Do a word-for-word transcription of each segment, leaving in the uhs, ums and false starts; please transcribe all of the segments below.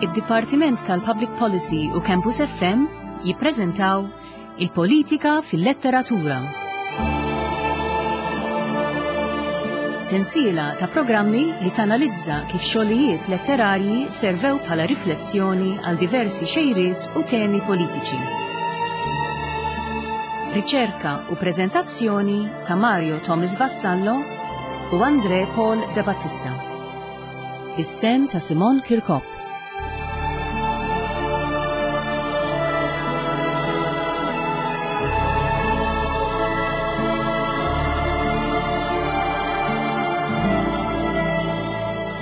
Id-Dipartiment tal-Public Policy u Campus F M jippreżentaw il-politika fil-letteratura. Sensiela ta' programmi li tanalizza kif xogħlijiet letterarji servew bħala riflessjoni għal diversi xejriet u temi politiċi. Riċerka u preżentazzjoni ta' Mario Thomas Vassallo u Andre Paul De Battista. Is-sem ta' Simon Kirkop.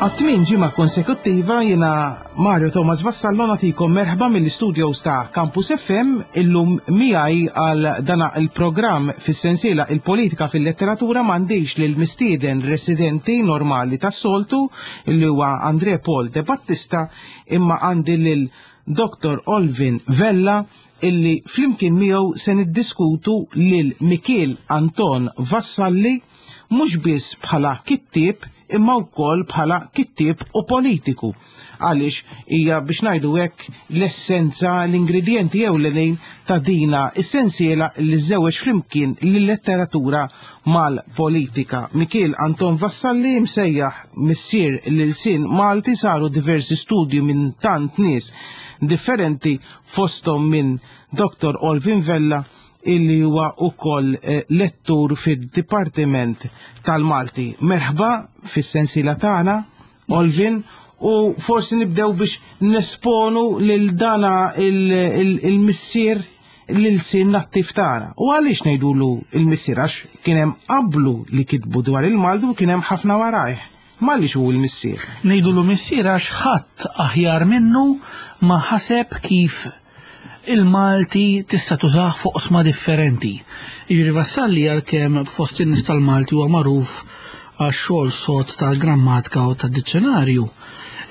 Għat-tmien ġimgħa konsekuttiva jiena Mario Thomas Vassallo nagħtikom merħba mill-istudios ta' Campus F M illum miegħi għal dana il-programm fis-sensiela il-politika fil-letteratura m'għandix lil mistieden residenti normali tas-soltu li huwa Andre Paul De Battista, imma għandi lil Doktor Olvin Vella illi flimkien miegħu se niddiskutu lil Mikiel Anton Vassalli mhux biss bħala kittieb imma wkoll bħala kittieb u politiku. Għaliex hija biex ngħidu hekk l-essenza, l-ingredjenti ewlenin ta' dina is-sensiela li żewweġ flimkien lill-letteratura mal-politika. Mikiel Anton Vassalli msejjaħ missier l-ilsien Malti, saru diversi studji minn tant nies differenti fosthom minn Doktor Olvin Vella illi huwa wkoll, eh, lettur fid-Dipartiment tal-Malti. Merħba fis-sensiela tagħna, Olvin, u forsi nibdew biex nesponu lil dana il-, il-, il-missier l-ilsien nattiv tagħna. U għaliex ngħidulu il-missier? Għax kien hemm qablu li kitbu dwar il-Malti u kien hemm ħafna warajh. Ma għaliex hu l-missier? Ngħidulu missier għax ħadd aħjar minnu ma ħaseb kif il-Malti tista' tużah fuq qosma differenti. Jiġifieri Vassalli għalkemm fost in-nies tal-Malti huwa magħruf għax-xogħol sod tal-grammatika u tad-dizzjonarju,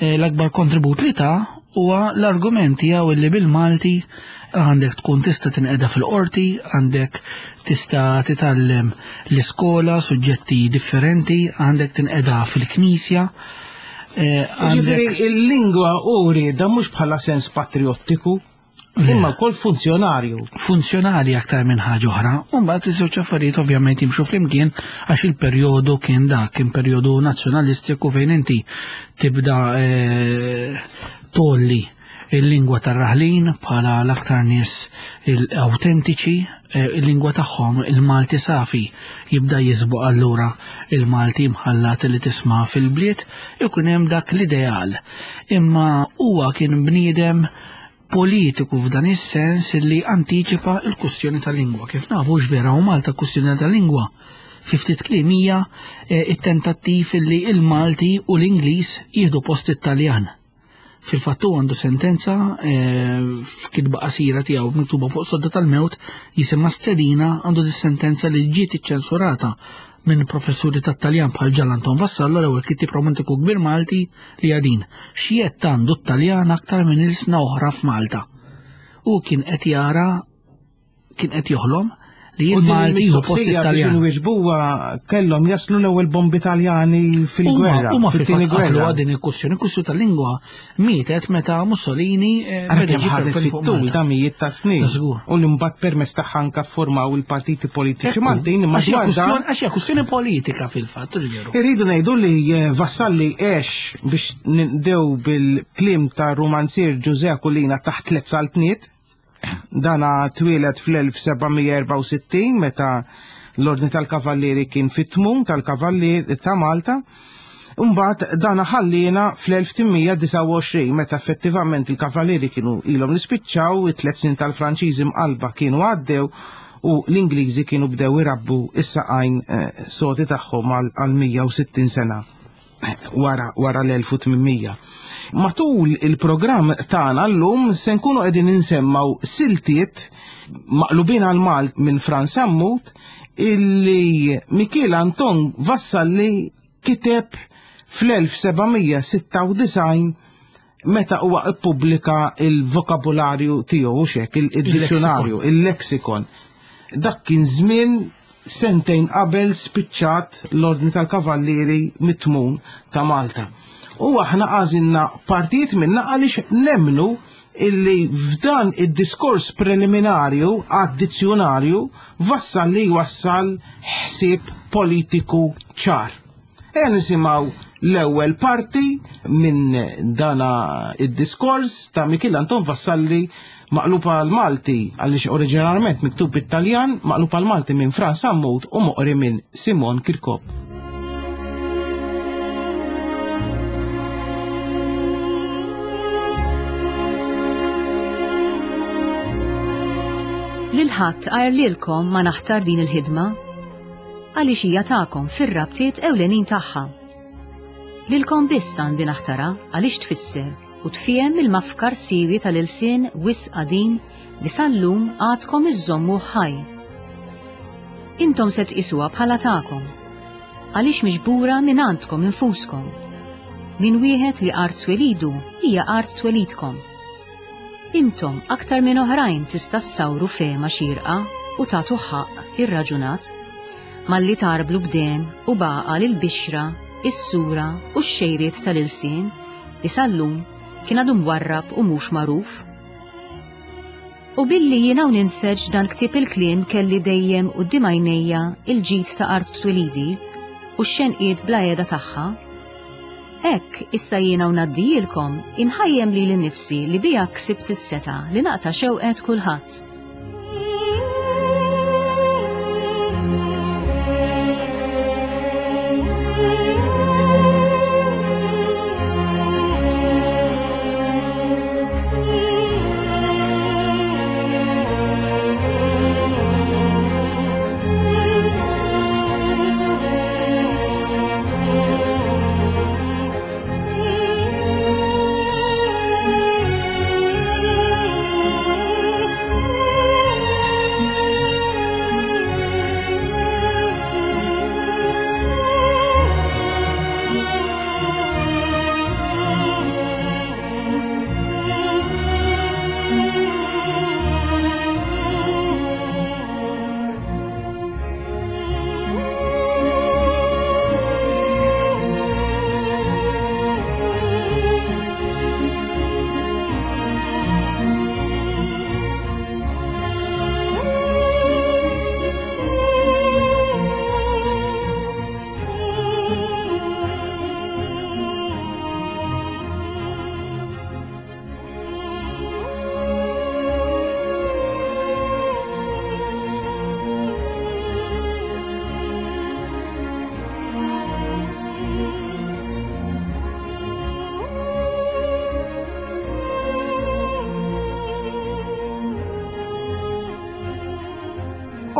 eh, l-akbar kontribut li ta huwa l-argument tiegħu li bil-Malti għandek tkun tista' tinqeda fil-qorti, għandek tista' titgħallem l-iskola, suġġetti differenti, għandek tinqeda fil-knisja. Eh, Jiġifieri għandek il-lingwa u rieda mhux bħala sens patriottiku, imma wkoll funzjonarju. Funzjonali aktar minn ħaġa oħra. U mbagħad iż-żewġ affarijiet ovvjament jimxu flimkien għax il-perjodu kien dak, kien perjodu nazzjonalistiku fejn inti tibda, eh, tolli il-lingwa tar-raħlin bħala l-aktar nies autentiċi, eh, il-lingwa tagħhom il-Malti safi jibda jisbuq allura il-Malti mħallat li tisma' fil-bliet, ikun hemm dak l-ideal. Imma huwa kien bniedem politiku f'dan is-sens li antiċipa l-kwistjoni tal-lingwa. Kif nafu x'vera u Malta kwistjoni tal-lingwa fi ftit kliem hija, eh, it-tentattiv li il-Malti u l-Ingliż jieħdu post it-Taljan. Fil-fatt hu għandu sentenza, eh, f'kitba qasira tiegħu miktuba fuq sodda tal-mewt jisimha Stedina, għandu dis-sentenza li ġiet iċċensurata minn professuri tat-Taljan bħal Ġan Anton Vassallo, l-ewwel kittieb romantiku kbir Malti li għadin. X'jett għandu t-Taljan aktar minn ilsna oħra f'Malta. U kien qed jara, kien qed joħlom li U din il-Malti jieħu post il-mistoqsija biex it-Taljan. inwieġbuha kellhom jaslu l-ewwel bombi Taljani fil-gwerra, Huma, huma fit-tieni fil-fatt qatlu gwerra. din il-kwistjoni, il-kwistjoni tal-lingwa mietet meta Mussolini, eh, Ara beda kemm jġib ħadet il-pen fuq fit-tul Malta. ta' mijiet ta' snin. Ta' żgur. U li mbagħad permezz tagħha anke ffurmaw il-partiti politiċi Ekku, Maltin, imma għax hija dwar dan kwistjoni, għax hija kwistjoni politika fil-fatt, hux veru. Irridu ngħidu li, eh, Vassalli għex biex nibdew bil-kliem ta' romanzier Ġużè Aquilina taħt tliet saltniet. Dana twieled fl-elf seba' mija erba' u sittin meta l-Ordni tal-Kavallieri kien fit-tmun tal-Kavallieri ta' Malta. Imbagħad dana ħallina fl-elf tmien disa' u għoxrin meta effettivament il-Kavallieri kienu ilhom nispiċċaw, it-tliet snin tal-Franċiżi mqalba kienu għaddew u l-Ingliżi kienu bdew irabbu is-saqajn, eh, soti tagħhom għal, għal mija u sittin sena wara, wara l-elf u tmien mija. Matul il-programm tagħna llum se nkunu qegħdin insemmaw siltiet maqlubin għal Malt minn Frans Sammut illi Mikiel Anton Vassalli kiteb fl-elf seba' mija sitta u disgħin meta huwa ippubblika il-vokabularju tiegħu, u xek, il-, il-dizzjonarju, il-lexikon. Dak kien żmien sentejn qabel spiċċat l-Ordni tal-Kavallieri mit-tmun ta' Malta. U aħna għażilna partijiet minna għaliex nemmnu illi f'dan id-diskors preliminarju għad-dizzjonarju Vassalli wassal ħsieb politiku ċar. Ejja nisimgħu l-ewwel parti minn dana id-diskors ta' Mikiel Anton Vassalli maqlub għal-Malti, għaliex oriġinarjament miktub bit-Taljan, maqlub għal-Malti minn Frans Sammut u moqri minn Simon Kirkop. Lil ħadd għajr lilkom ma naħtar din il-ħidma, għaliex hija tagħkom fir-rabtiet ewlenin tagħha. Lilkom biss għandi naħtara għaliex tfisser u tfiem il-mafkar siwi tal-ilsien wisq qadim li sal-lum għadkom iżommu ħaj. Intom se tqisuha bħala tagħkom, għaliex miġbura minn għandkom infuskom, minn wieħed li art twelidu hija art twelidkom. Intom aktar minn oħrajn tista' ssawru fehma xierqa u tagħtu ħaqq irraġunat, malli tarblu b'den u baqa lil bixra, is-sura u x-xejriet tal-ilsien li sal-lum kien għadu mwarrab u mhux magħruf. U billi jiena u ninseġ dan ktieb il-kliem kelli dejjem quddiem għajnejja il-ġid ta' art twelidi u x-xenqiet bla qiegħda tagħha, hekk issa jiena u ngħaddijilkom inħajjem lili nnifsi li biha ksibt is-seta li naqta' xewqet kulħadd.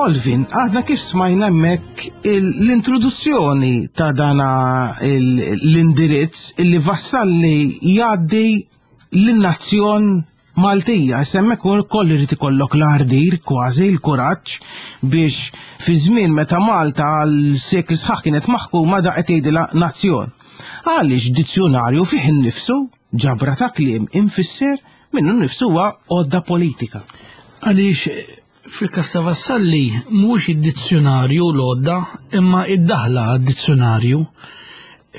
Olvin, għadna kif smajna hemmhekk l-introduzzjoni ta' dana l-indirizz illi Vassalli jgħaddi lin-nazzjon Maltija. Hemmhekk ukoll irid ikollok l-ardir, kważi l-kuraġġ biex fi żmien meta Malta għal sekli sħaħ kienet maħkuma da qed jgħidilha nazzjon. Għaliex dizzjonarju fih innifsu ġabra ta' kliem infisser minnu nnifsu huwa għodda politika. Għaliex fil-każ ta' Vassalli mhux id-dizzjonarju l-għodda imma id-daħla għad-dizzjonarju.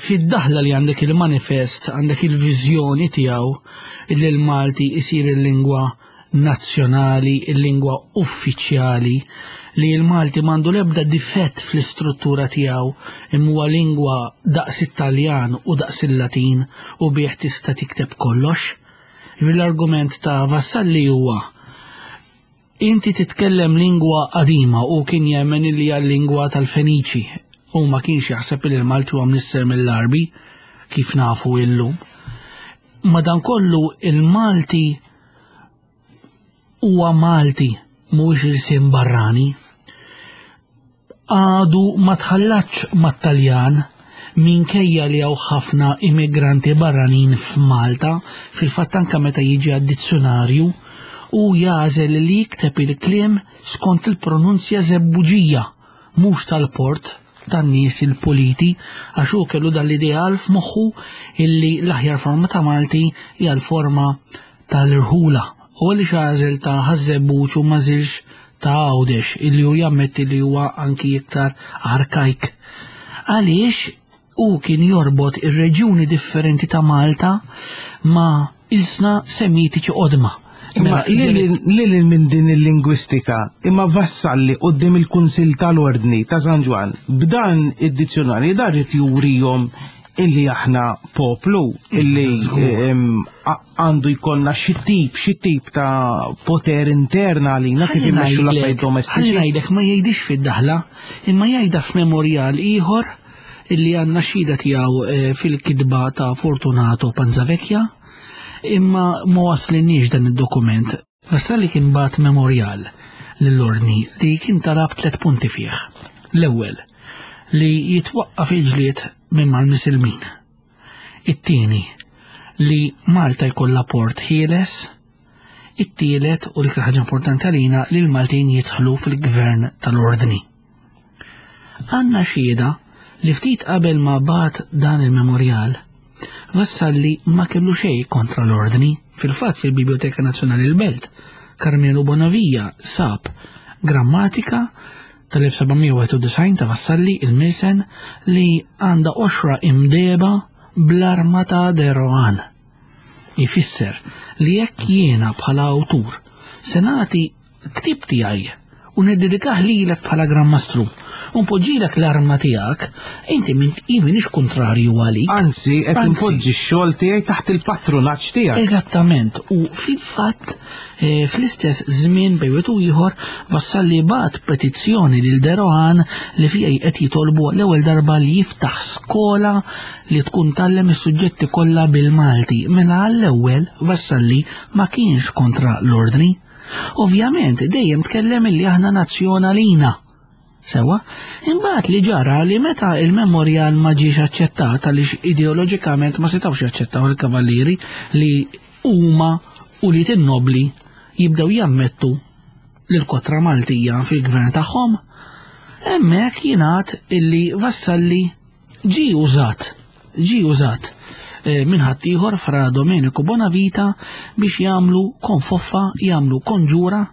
Fid-daħla li għandek il-manifest, għandek il-viżjoni tiegħu li l-Malti isir il-lingwa nazzjonali, il-lingwa uffiċjali, li l-Malti m'għandu l-ebda difett fl-istruttura tiegħu imma huwa lingwa daqs it-Taljan u daqs il-Latin u bih tista' tikteb kollox. L-argument ta' Vassalli huwa inti titkellem lingwa qadima u kien jemmen li hija l-lingwa tal-Feniċi u ma kienx jaħseb li l-Malti huwa mnisser mill-Arbi kif nafu illum. Madankollu il-Malti huwa Malti mhuwiex ilsien barrani. Għadu ma tħallatx mat-Taljan minkejja li hawn ħafna immigranti barranin f'Malta, fil-fatt anke meta jiġi għad-dizzjonarju u jażel li jikteb il-kliem skont il-pronunzja żebbuġija, mhux tal-port tan-nies il-puliti, għax hu kellu dan l-ideal f'moħħu illi l-aħjar forma ta' Malti hija l-forma tal-irħula. U għaliex għażel ta' Ħaż-Żebbuġ u ma żilx ta' Għawdex illi hu jammetti li huwa anki iktar arkajk. Għaliex U kien jorbot ir-reġjuni differenti ta' Malta ma' ilsna semitiċi qodma. Imma lil minn din il-lingwistika, imma Vassalli quddiem il-Kunsill tal-Ordni ta' San Ġwann, b'dan id-dizzjonarju dar irid jurihom illi aħna poplu, illi għandu jkollna xi tip, xi tip ta' poter interna għalina kif immexxu l-affarijiet domestiċi. Ħalli ngħidlek, ma jgħidix fid-daħla, imma jgħidha f'memorjal ieħor illi għandna xhieda tiegħu fil-kitba ta' Fortunato Panzavecchia, imma ma waslinniex dan id-dokument. Vassalli kien bat memorial lill-ordni li kien talab tliet punti fih. L-ewwel, li jitwaqqaf il-ġlied minn mal-Misilmin. It-tieni, li Malta jkollha port ħieles. It-tielet, u l-iktar ħaġa importanti għalina, li l-Maltin jidħlu fil-gvern tal-ordni. Għandna xhieda li ftit qabel ma bat dan il-memorial, Vassalli ma kellu xejn kontra l-ordni. Fil-fatt fil-Biblioteka Nazzjonali l-Belt, Carmelo Bonavia sab grammatika tal-elf sebgħamija wieħed u disgħin ta' Vassalli il-Milsen li għandha qoxra imdeba bl-arma ta' De Rohan. Ifisser li jekk jiena bħala awtur se nagħti ktib tiegħi u niddedikah lilek bħala Gran Mastru u npoġġilek l-arma tiegħek, inti min jien m'iniex kontrarju għalik. Anzi, qed Anzi. npoġġi x-xogħol tiegħi taħt il-patrunaġġ tiegħek. Eżattament, u fil-fatt, eh, fl-istess żmien bejn wieħed u ieħor Vassalli bat petizzjoni lil De Rohan li fiha qed jitolbu l-ewwel darba li jiftaħ skola li tkun tgħallem is-suġġetti kollha bil-Malti. Mela għall-ewwel Vassalli ma kienx kontra l-ordni. Ovvjament dejjem tkellem illi aħna nazzjonalina. Sewa, imbagħad li ġara li meta il-memorial ma ġiex aċċettat għaliex ideoloġikament ma setgħux jaċċettaw il-kavallieri li huma u li tin-nobli jibdew jammettu lil kotra Maltija fil-gvern tagħhom, hemmhekk jingħad illi Vassalli ġie użat, ġie użat, eh, minn ħaddieħor Fra Domenico Bonavita biex jagħmlu konfoffa, jagħmlu konġura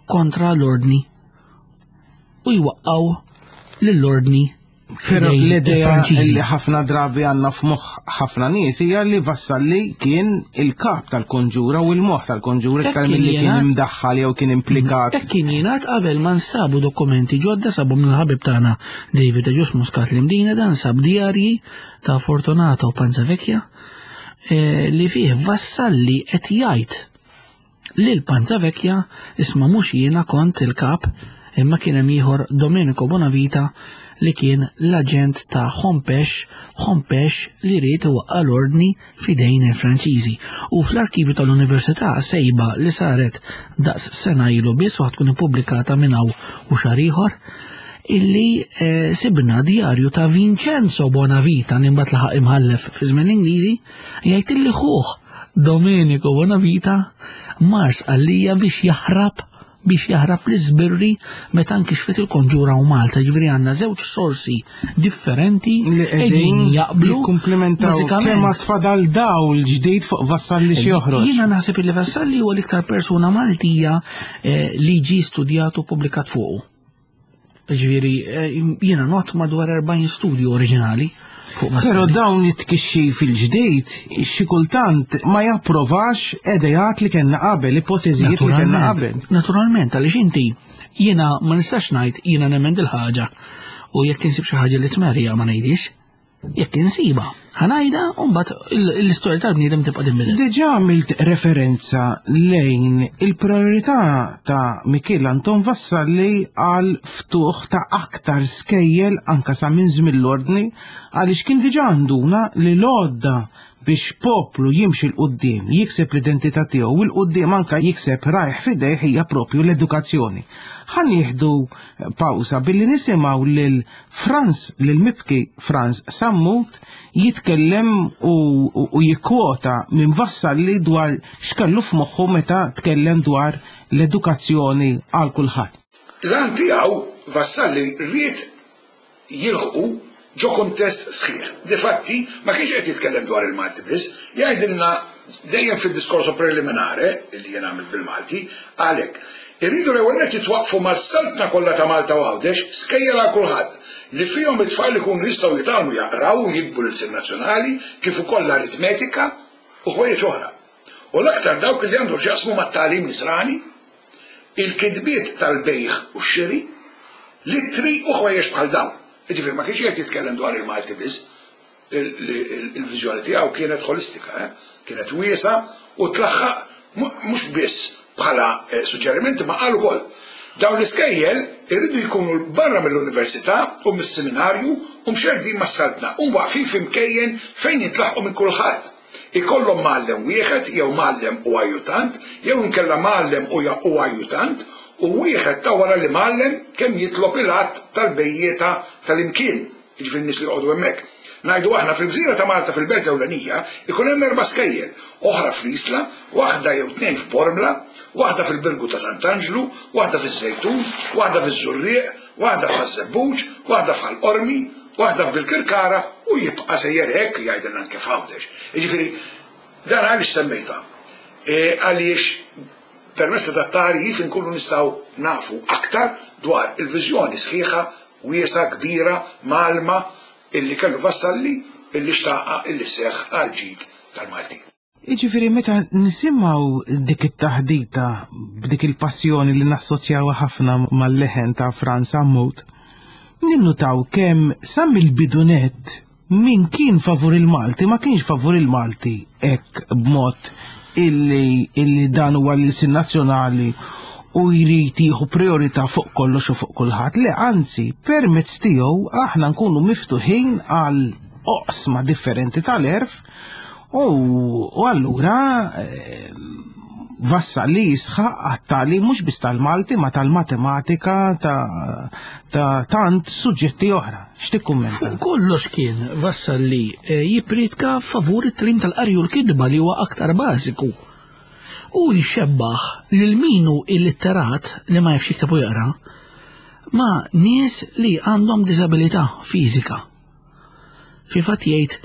kontra l-ordni u jwaqqgħu lill-ordni Però fidejn l-idea il-Franċiżi. li ħafna drabi għandna f'moħħ ħafna nies hija li Vassalli kien il-kap tal-konġura u l-moħħ tal-konġura Hekk iktar kien milli kien jingħad. imdaħħal jew kien implikat. Hekk kien jingħad qabel ma nsabu dokumenti ġodda sabu minn ħabib tagħna David Agius Muscat l-Imdina, dan sab djarji ta' Fortunato Panzavecchia, eh, li fih Vassalli qed jgħid lil Panzavecchia isma' mhux jiena kont il-kap imma kien hemm ieħor Domenico Bonavita li kien l-aġent ta' Hompesch, Hompesch li ried iwaqqa' l-ordni fidejn il-Franċiżi. U fl-arkivju tal-Università sejba li saret daqs sena ilu biss u ħatkun ippubblikata minn hawn u xahar ieħor, illi, eh, sibna djarju ta' Vincenzo Bonavita li mbagħad laħaq imħallef fi żmien l-Ingliżi, jgħid illi ħuh Domenico Bonavita mar Sqallija biex jaħrab biex jaħrab l-iżbirri meta nkixfet il-konġura u Malta. Ġifieri għandna żewġ sorsi differenti li qegħdin qegħdin jaqblu jikkumplimentaw bażikament. kemm għad fadal dawl ġdid fuq Vassalli xi joħroġ. Jiena naħseb li Vassalli huwa l-iktar persuna Maltija, eh, li ġie studjat u ppubblikat fuqu. Ġifieri, eh, jiena not madwar erbgħin studju oriġinali fuq Vassalli. Però dawn it-tkixxi fil-ġdid xi kultant ma japprovax idejat li kellna qabel, ipoteżijiet li kellna Naturalment, qabel. Naturalment, għaliex inti jiena ma nistax ngħid jiena nemmen dil-ħaġa u jekk insib xi ħaġa li tmerja ma ngħidix, jekk insiba, ħanajda u mbagħad il-, l-istorja tal-bniedem tibqa' tinbidel. Diġà għamilt referenza lejn il-priorità ta' Mikiel Anton Vassalli għal ftuħ ta' aktar skejjel anka sa minn żmien l-ordni, għaliex kien diġà għanduna li l-għodda biex poplu jimxi l-qoddim, jikseb l-identità tiegħu u l-qoddim anka jikseb rajh f'idejh hija propju l-edukazzjoni. Ħa nieħdu pawsa billi nisimgħu lil Frans, lil Mibki Frans Sammut jitkellem u, u, u jikkwota minn Vassalli dwar x'kellu f'moħħu meta tkellem dwar l-edukazzjoni għal kulħadd. L-għan tiegħu Vassalli ried jilħqu ġo kontest sħiħ. Difatti, ma kienx qed jitkellem dwar il-Malti biss, jgħidilna dejjem fid-diskorso preliminare li jien għamilt bil-Malti, għalhekk irridu l-ewwel nett jitwaqfu mas-saltna kollha ta' Malta u Għawdex skejjel għal kulħadd. li fihom it-tfal ikunu jistgħu jitgħallmu jaqraw u jiktbu l-ilsien nazzjonali kif ukoll l-aritmetika u ħwejjeġ oħra. U l-aktar dawk li għandhom x'jaqsmu mat-tagħlim nisrani, il-kitbiet tal-bejgħ u x-xiri, l-ittri u ħwejjeġ bħal dawn. Jiġifieri ma kienx qed jitkellem dwar il-Malti biss, il-viżjoni tiegħu kienet ħolistika, kienet wiesgħa u tlaħħaq mhux biss bħala suġġerimenti ma qal ukoll. Dawn l-iskejjel irridu jkunu barra mill-università u mis-seminarju u mxerdin mas-saltna u waqfin f'imkejjen fejn jitlaħqu minn kulħadd. Ikollhom mgħallem wieħed jew mgħallem u ajjutant jew inkella mgħallem u ajjutant u wieħed ta' wara li mgħallem kemm jitlob il-att tal-bejjieta tal-imkien, jiġifieri n-nies li joqogħdu hemmhekk. Ngħidu aħna fil-gżira ta' Malta fil-belt ewlenija ikun hemm erba' skejjel, oħra fl-Isla, waħda jew tnejn f'Bormla, waħda fil-Birgu ta' Sant'Anġlu, waħda fiż-Żejtun, waħda fiż-Żurrieq, waħda f'Ħaż-Żebbuġ, waħda f'Ħal Qormi, waħda f'Bilkirkara u jibqa' sejjer hekk jgħidilna anke f'Għawdex. Jiġifieri dan għaliex semmejtha? Għaliex permezz ta' dat-tagħrif inkunu nistgħu nafu aktar dwar il-viżjoni sħiħa, wiesgħa, kbira, mgħallma illi kellu Vassalli illi xtaqa illi seħħ għal ġid tal-Malti. Jiġifieri meta nisimgħu dik it-taħdita b'dik il-passjoni li nassoċjawha ħafna mal-leħen ta' Frans Sammut, ninnutaw kemm sa mill-bidu nett min kien favur il-Malti ma kienx favur il-Malti hekk b'mod illi illi dan huwa l-ilsien nazzjonali u jrid jieħu priorità fuq kollox u fuq kulħadd. Le, anzi, permezz tiegħu aħna nkunu miftuħin għal oqsma differenti tal-erf u allura Vassalli jisħaq għat-tagħlim mhux biss tal-Malti ma tal-matematika ta' tant suġġetti oħra. X'tikkummenta? Fuq kollox kien Vassalli jippriedka favur it-tagħlim tal-qari u l-kitba li huwa aktar bażiku. U jxebbaħ lil min hu illitterat li ma jafx jikteb u jaqra ma' nies li għandhom diżabilità fiżika. Fi fatt jgħid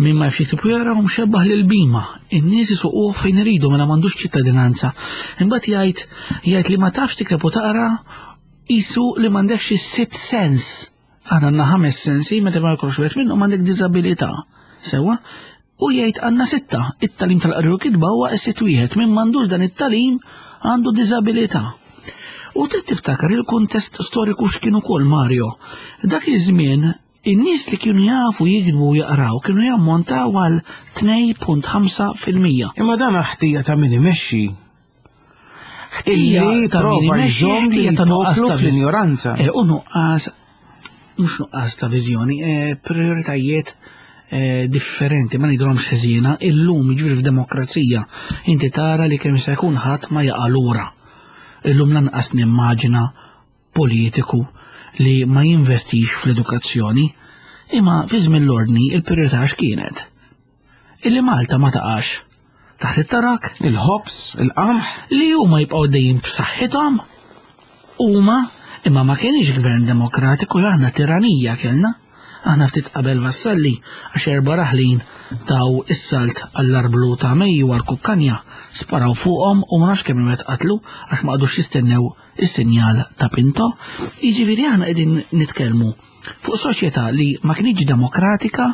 min ma jafx jikteb u jaqra hu mxebbaħ lil bima, in-nies isuquh fejn iridu mela m'għandux ċittadinanza. Imbagħad jgħid jgħid li ma tafx tikteb u taqra qisu li m'għandekx is-sitt sens. Aħna għandna ħames sensi, meta ma jkollx wieħed minnhom għandek diżabilità. Sewwa? U jgħid għandna sitta, it-tagħlim tal-qari u kitba huwa s-sitt wieħed, min m'għandux dan it-tagħlim għandu diżabilità. U trid tiftakar il-kuntest storiku x'kien ukoll Mario. Dak iż-żmien in-nies li kienu jafu jiktbu u jaqraw kienu jammontaw għal tnejn punt ħamsa fil-mija. Imma dan ħtija ta' min imexxi. Ħtija Illi ta' min prova imexxi, jżomm ħtija ta' nuqqas lill-poplu ta' fl-injoranza. Eh, u nuqqas, mhux nuqqas ta' viżjoni, eh, prioritajiet eh, differenti, ma ngħidulhomx ħeżiena, illum jiġifieri f'demokrazija inti tara li kemm se jkun ħadd ma jaqa' lura. Illum lanqas nimmaġina politiku li ma jinvestix fl-edukazzjoni, imma fi żmien l-ordni il-priorità x'kienet? Illi Malta ma taqax taħt it-tarak, il-ħobż, il-qamħ, li huma jibqgħu dejjem b'saħħithom, huma imma ma kienx gvern demokratiku, aħna tiranija kellna. Aħna ftit qabel Vassalli għax erba' raħlin taw is-salt għall-arblu ta' Mejju għal-Kukkanja, sparaw fuqhom u ma nafx kemm wieħed qatlu għax ma qagħdux jistennew is-sinjal ta' Pinto. Jiġifieri aħna qegħdin nitkellmu fuq soċjetà li ma kienx demokratika,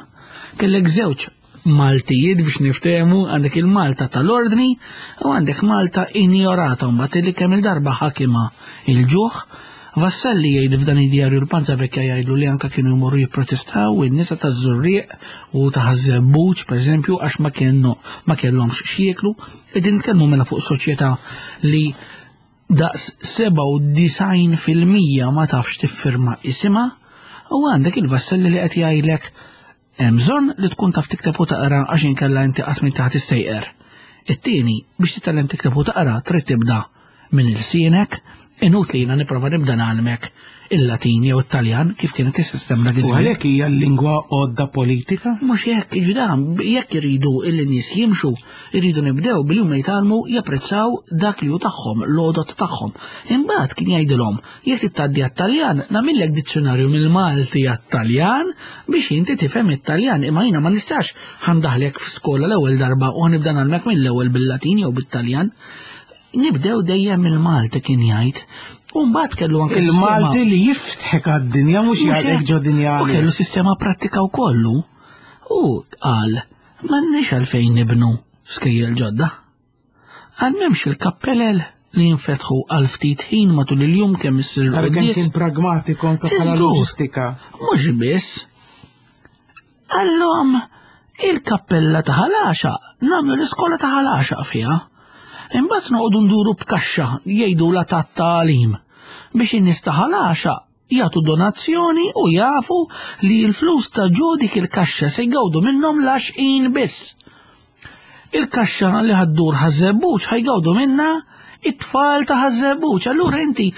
kellek żewġ Maltijiet biex niftehmu, għandek il-Malta tal-ordni u għandek Malta injorata mbagħad li kemm il-darba ħakima il-ġuħ. Vassalli jgħid f'dan id-djarju l-Panza Vecchia jgħidlu li anka kienu jmorru jipprotestaw in-nisa taż-Żurrieq u ta' Ħaż-Żebbuġ pereżempju għax ma kienu ma kellhomx x'jieklu. Qegħdin nitkellmu mela fuq soċjetà li daqs sebgħa u disgħin fil-mija ma tafx tiffirma isimha u għandek il-Vassalli li qed jgħidlek hemm bżonn li tkun taf tikteb u taqra għax inkella inti qatt minn taħt tistejqer. It-tieni biex titgħallem tikteb u taqra trid tibda minn ilsienek, inutli jiena nipprova nibda ngħallmek il-Latin jew it-Taljan kif kienet is-sistema dak U iż-żmien. għalhekk hija l-lingwa għodda politika? Mhux hekk, jiġifieri dan, jekk iridu illi nies jimxu, iridu nibdew billi huma jitgħallmu japprezzaw dak li hu tagħhom, l-għodot tagħhom. Imbagħad kien jgħidilhom, jekk titgħaddi għat-Taljan, nagħmillek dizzjonarju mill-Malti għat-Taljan biex inti tifhem it-Taljan, imma jiena ma nistax ħandaħlek f'skola l-ewwel darba u ħanibda ngħallmek mill-ewwel bil-Latin jew bit-Taljan. Nibdew dejjem mill-Malti kien jgħid, U mbagħad kellu anke Il-Malti li jiftħek għad-dinja mhux jgħalqek ġo dinja. U kellu sistema prattika wkollu. U qal m'għandniex għalfejn nibnu skejjel ġodda. Għal m'hemmx il-kappellel li jinfetħu għal ftit ħin matul il-jum kemm issir il-quddies. Kien pragmatiku anke bħala loġistika. Mhux biss. Għallhom il-kappella ta' Ħal Għaxaq nagħmlu l-iskola ta' Ħal Għaxaq fiha. Imbagħad noqogħdu nduru b'kaxxa jgħidulha tat-tagħlim biex in-nies ta' Ħal Għaxaq jagħtu donazzjoni u jafu li l-flus ta' ġo dik il-kaxxa se jgawdu minnhom l-għaxqin biss. Il-kaxxa li ħaddur Ħaż-Żebbuġ ħajgawdu minnha it-tfal ta' Ħaż-Żebbuġ. Allura inti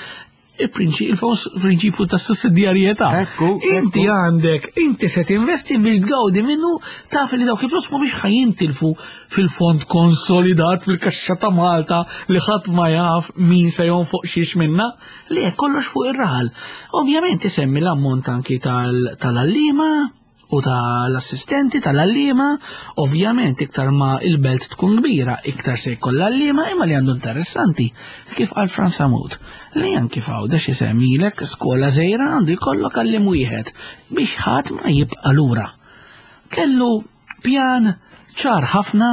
il-prinċipju ta' sussidjarjetà. Inti għandek, inti se tinvesti biex tgawdi minnu, taf li dawk il-flus mhumiex ħajintilfu fil-fond konsolidat fil-kaxxa ta' Malta li ħadd ma jaf min se jonfoq xiex minna, li kollox fuq ir-raħal. Ovvjament isemmi l-ammont anki tal-għalliema u tal-assistenti tal-għalliema, ovvjament iktar ma il-belt tkun kbira, iktar se jkollha għalliema, imma li għandu interessanti, kif qal Frans Sammut, li anki f'Għawdex isemmilek skola żgħira għandu jkollok għalliem wieħed biex ħadd ma jibqa' lura. Kellu pjan ċar ħafna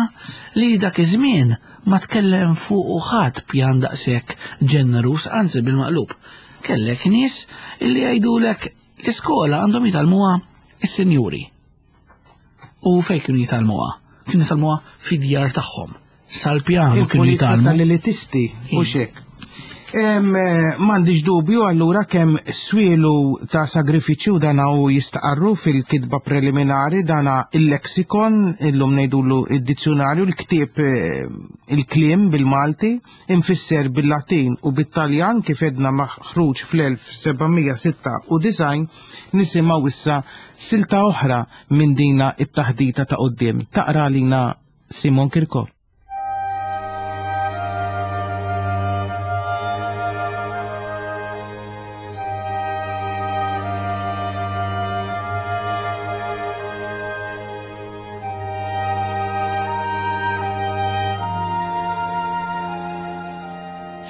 li dak iż-żmien ma tkellem fuq ħadd pjan daqshekk ġenerus, anzi bil-maqlub. Kellek nies illi jgħidulek l-iskola għandhom jitgħallmuha is-sinjuri. U fejn kienu jitgħallmuha? Kienu jitgħallmuha fid-djar tagħhom. Sal-pjanu kienu jitgħallmu. Tal-elitisti, u xek. M'għandix dubju allura kemm swielu ta' sagrifiċċju dana u jistaqarru fil-kitba preliminari dana il-lexikon, illum ngħidulu id-dizzjonarju, l-ktieb il-kliem bil-Malti, infisser bil-Latin u bit-Taljan kif edna maħruġ fl-elf sebgħamija sitta u disgħin, nisimgħu issa silta oħra minn dina it-taħdita ta' quddiem. Taqra lina Simon Kirkop.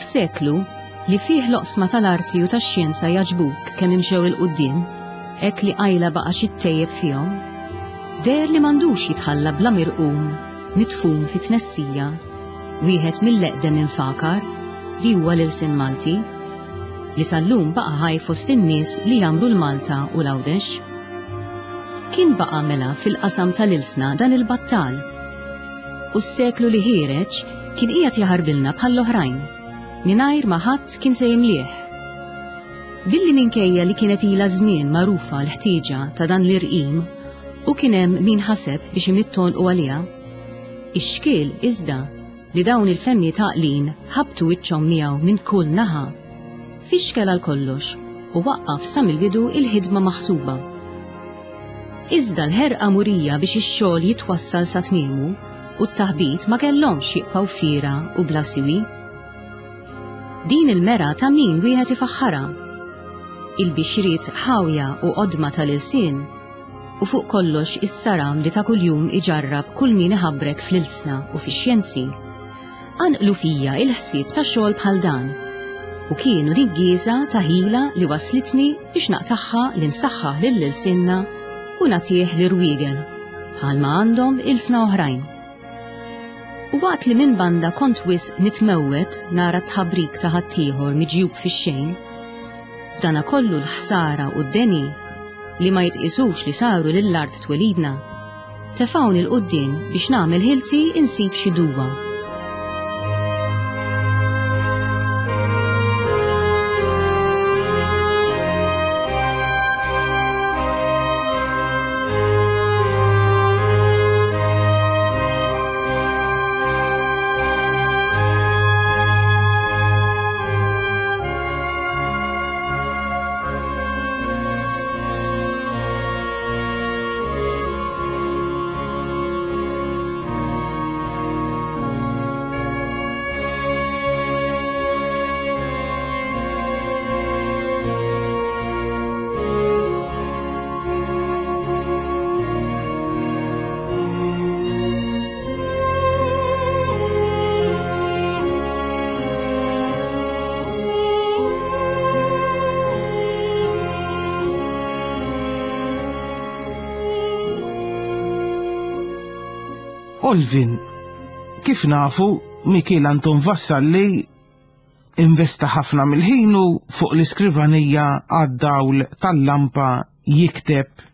F'seklu li fih l-oqsma tal-arti u tax-xjenza jaġbuk kemm imxew il-quddiem, hekk li qajla baqa' xi ttejjeb fihom, deher li m'għandux jitħalla bla mirqum mitfun fit-tnessija wieħed mill-eqdem infakar li huwa l-ilsien Malti, li sal-lum baqa' ħaj fost in-nies li jagħmlu l-Malta u l-Għawdex. Kien baqa' mela fil-qasam tal-ilsna dan il-battal, u s-seklu li ħiereġ kien qiegħed jaħarbilna bħall-oħrajn, mingħajr ma ħadd kien se jimlih. Billi minkejja li kienet ilha żmien magħrufa l-ħtieġa ta' dan l-irqim u kien hemm min ħaseb biex imitton u għaliha, ix-xkiel iżda li dawn il-femmi taqlin ħabtu wiċċhom miegħu minn kull naħa, fixkel għal kollox u waqqaf sa mill-bidu il-ħidma maħsuba. Iżda l-ħerqa murija biex ix-xogħol jitwassal sa tmiemu u t-taħbit ma kellhomx jibqgħu fiera u bla siwi. Din il-mera ta' min wieħed ifaħħarha. Il-bixriet ħawja u qodma tal-ilsien u fuq kollox is-saram li ta' kuljum iġarrab kull min iħabbrek fl-ilsna u fix-xjenzi, anqlu fija il-ħsieb ta' xogħol bħal dan u kienu niggieża ta' ħila li waslitni biex naqtaħħa li nsaħħaħ lil-ilsienna u nagħtih l-irwiegel bħalma għandhom ilsna oħrajn. U waqt li minn banda kont wisq nitmewwet nara tħabrik ta' ħaddieħor miġjub fix-xejn, dana kollu l-ħsara u d-deni li ma jitqisux li saru lill-art twelidna, tefgħuni 'l quddiem biex nagħmel ħilti insib xi duwa. Olvin, kif nafu Mikiel Anton Vassalli investa ħafna mill-ħinu fuq l-iskrivanija għad-dawl tal-lampa jikteb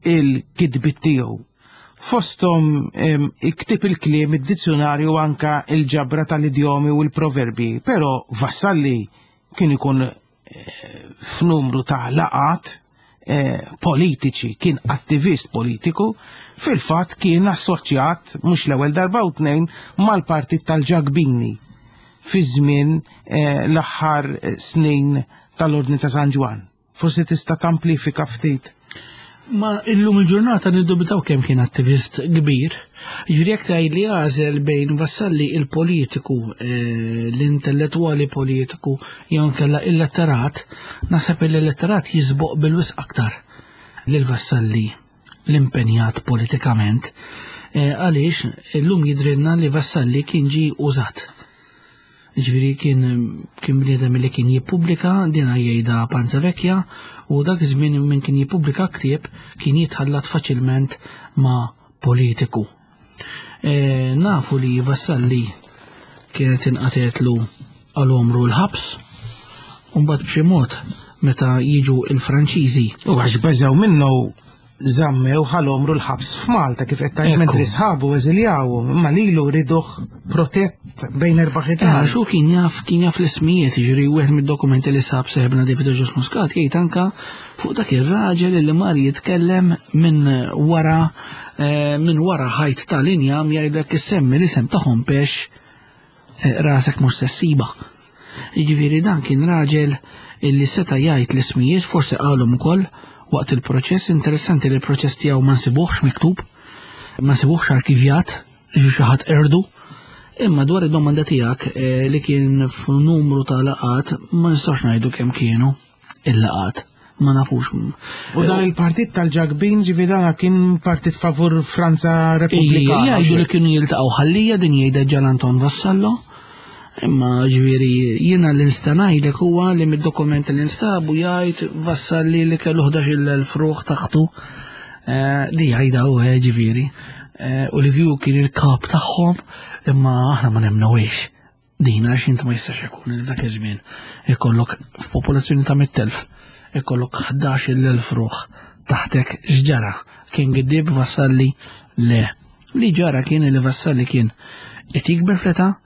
il-kitbiet tiegħu. Fosthom iktib il-kliem, id-dizzjonarju, anka il-ġabra tal-idjomi u l-proverbi, però Vassalli kien ikun eh, f'numru ta' laqat eh, politiċi, kien attivist politiku, fil-fatt kien assoċjat mhux l-ewwel darba u tnejn mal-partit tal-Ġakbini fi żmien eh, l-aħħar snin tal-Ordni ta' San Ġwann. Forsi tista' tamplifika ftit. Ma illum il-ġurnata niddubitaw kemm kien attivist kbir. Ġifieri jekk tgħid li għażel bejn Vassalli il-politiku, eh, l-intellettwali politiku, jew inkella il-letterat, naħseb il-letterat jisboq bil-wisq aktar lil Vassalli l-impenjat politikament. Eh, għaliex illum jidrinna li Vassalli kien ġi użat. Ġifieri kien kien bniedem li kien jippubblika, dina jgħidha Panzavecchia, u dak iż-żmien min kien jippubblika ktieb kien jitħallat faċilment ma' politiku. E, nafu li Vassalli kienet inqatetlu għal omru l-ħabs, u mbagħad b'xi mod meta jiġu il-Franċiżi. U għax beżew minnu żammew ħal-omru l-ħabs f'Malta kif qed tgħid, mentri sħabu eżiljaw, imma lilu riduh protett bejn erba' ħitan. Eh, xu kien jaf, kien jaf l-ismijiet, jiġri wieħed mid-dokumenti li sab seħbna David Ġus Muscat jgħid anka fuq dak ir-raġel li mar jitkellem minn wara eh, minn wara ħajt tal-injam jgħidlek issemmi l-isem ta' Hompesch, eh, rasek mhux sessiba. Jiġifieri dan kien raġel illi seta' jgħid l-ismijiet, forsi qalhom ukoll waqt il-proċess. Interessanti li l-proċess tiegħu ma nsibuhx miktub, ma nsibuhx arkivjat, ġi xi ħadd erdu. Imma dwar id-domanda tiegħek, eh, li kien f'numru ta' laqat, ma nistax ngħidu kemm kienu il-laqat, ma nafux. U dan il-partit tal-Ġakbin, ġifieri dan kien partit favur Franza Repubblikana. Jgħidu li kienu jiltaqgħu ħallija, din jgħidha Ġan Anton Vassallo. Imma ġifieri jiena li nista' ngħidlek huwa li mid-dokumenti li nstabu jgħid Vassalli li kellu ħdax-il elf ruħ taħtu. Eh, di jgħidha hu, eh, ġifieri. Eh, u li kieku kien il-kap tagħhom, imma aħna ma nemnewiex. Din għax inti ma jistax ikun li dak iż-żmien ikollok f'popolazzjoni ta' mitt elf, ikollok ħdax-il elf ruħ taħtek. X'ġara? Kien giddib Vassalli? Le. Li ġara kien li Vassalli kien qed jikber fl-età,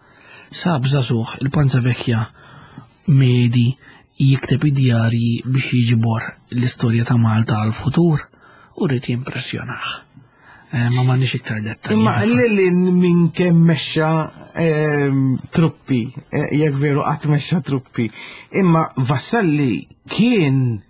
sab żagħżugħ il-Panzavecchia medi jikteb id-djarji biex jiġbor l-istorja ta' Malta għal-futur u rrid jimpressjonah. Eh, ma m'għandix iktar dettalji. Imma lili minn kemm mexxa, ehm, truppi, eh, jekk veru qatt mexxa truppi. Imma Vassalli kien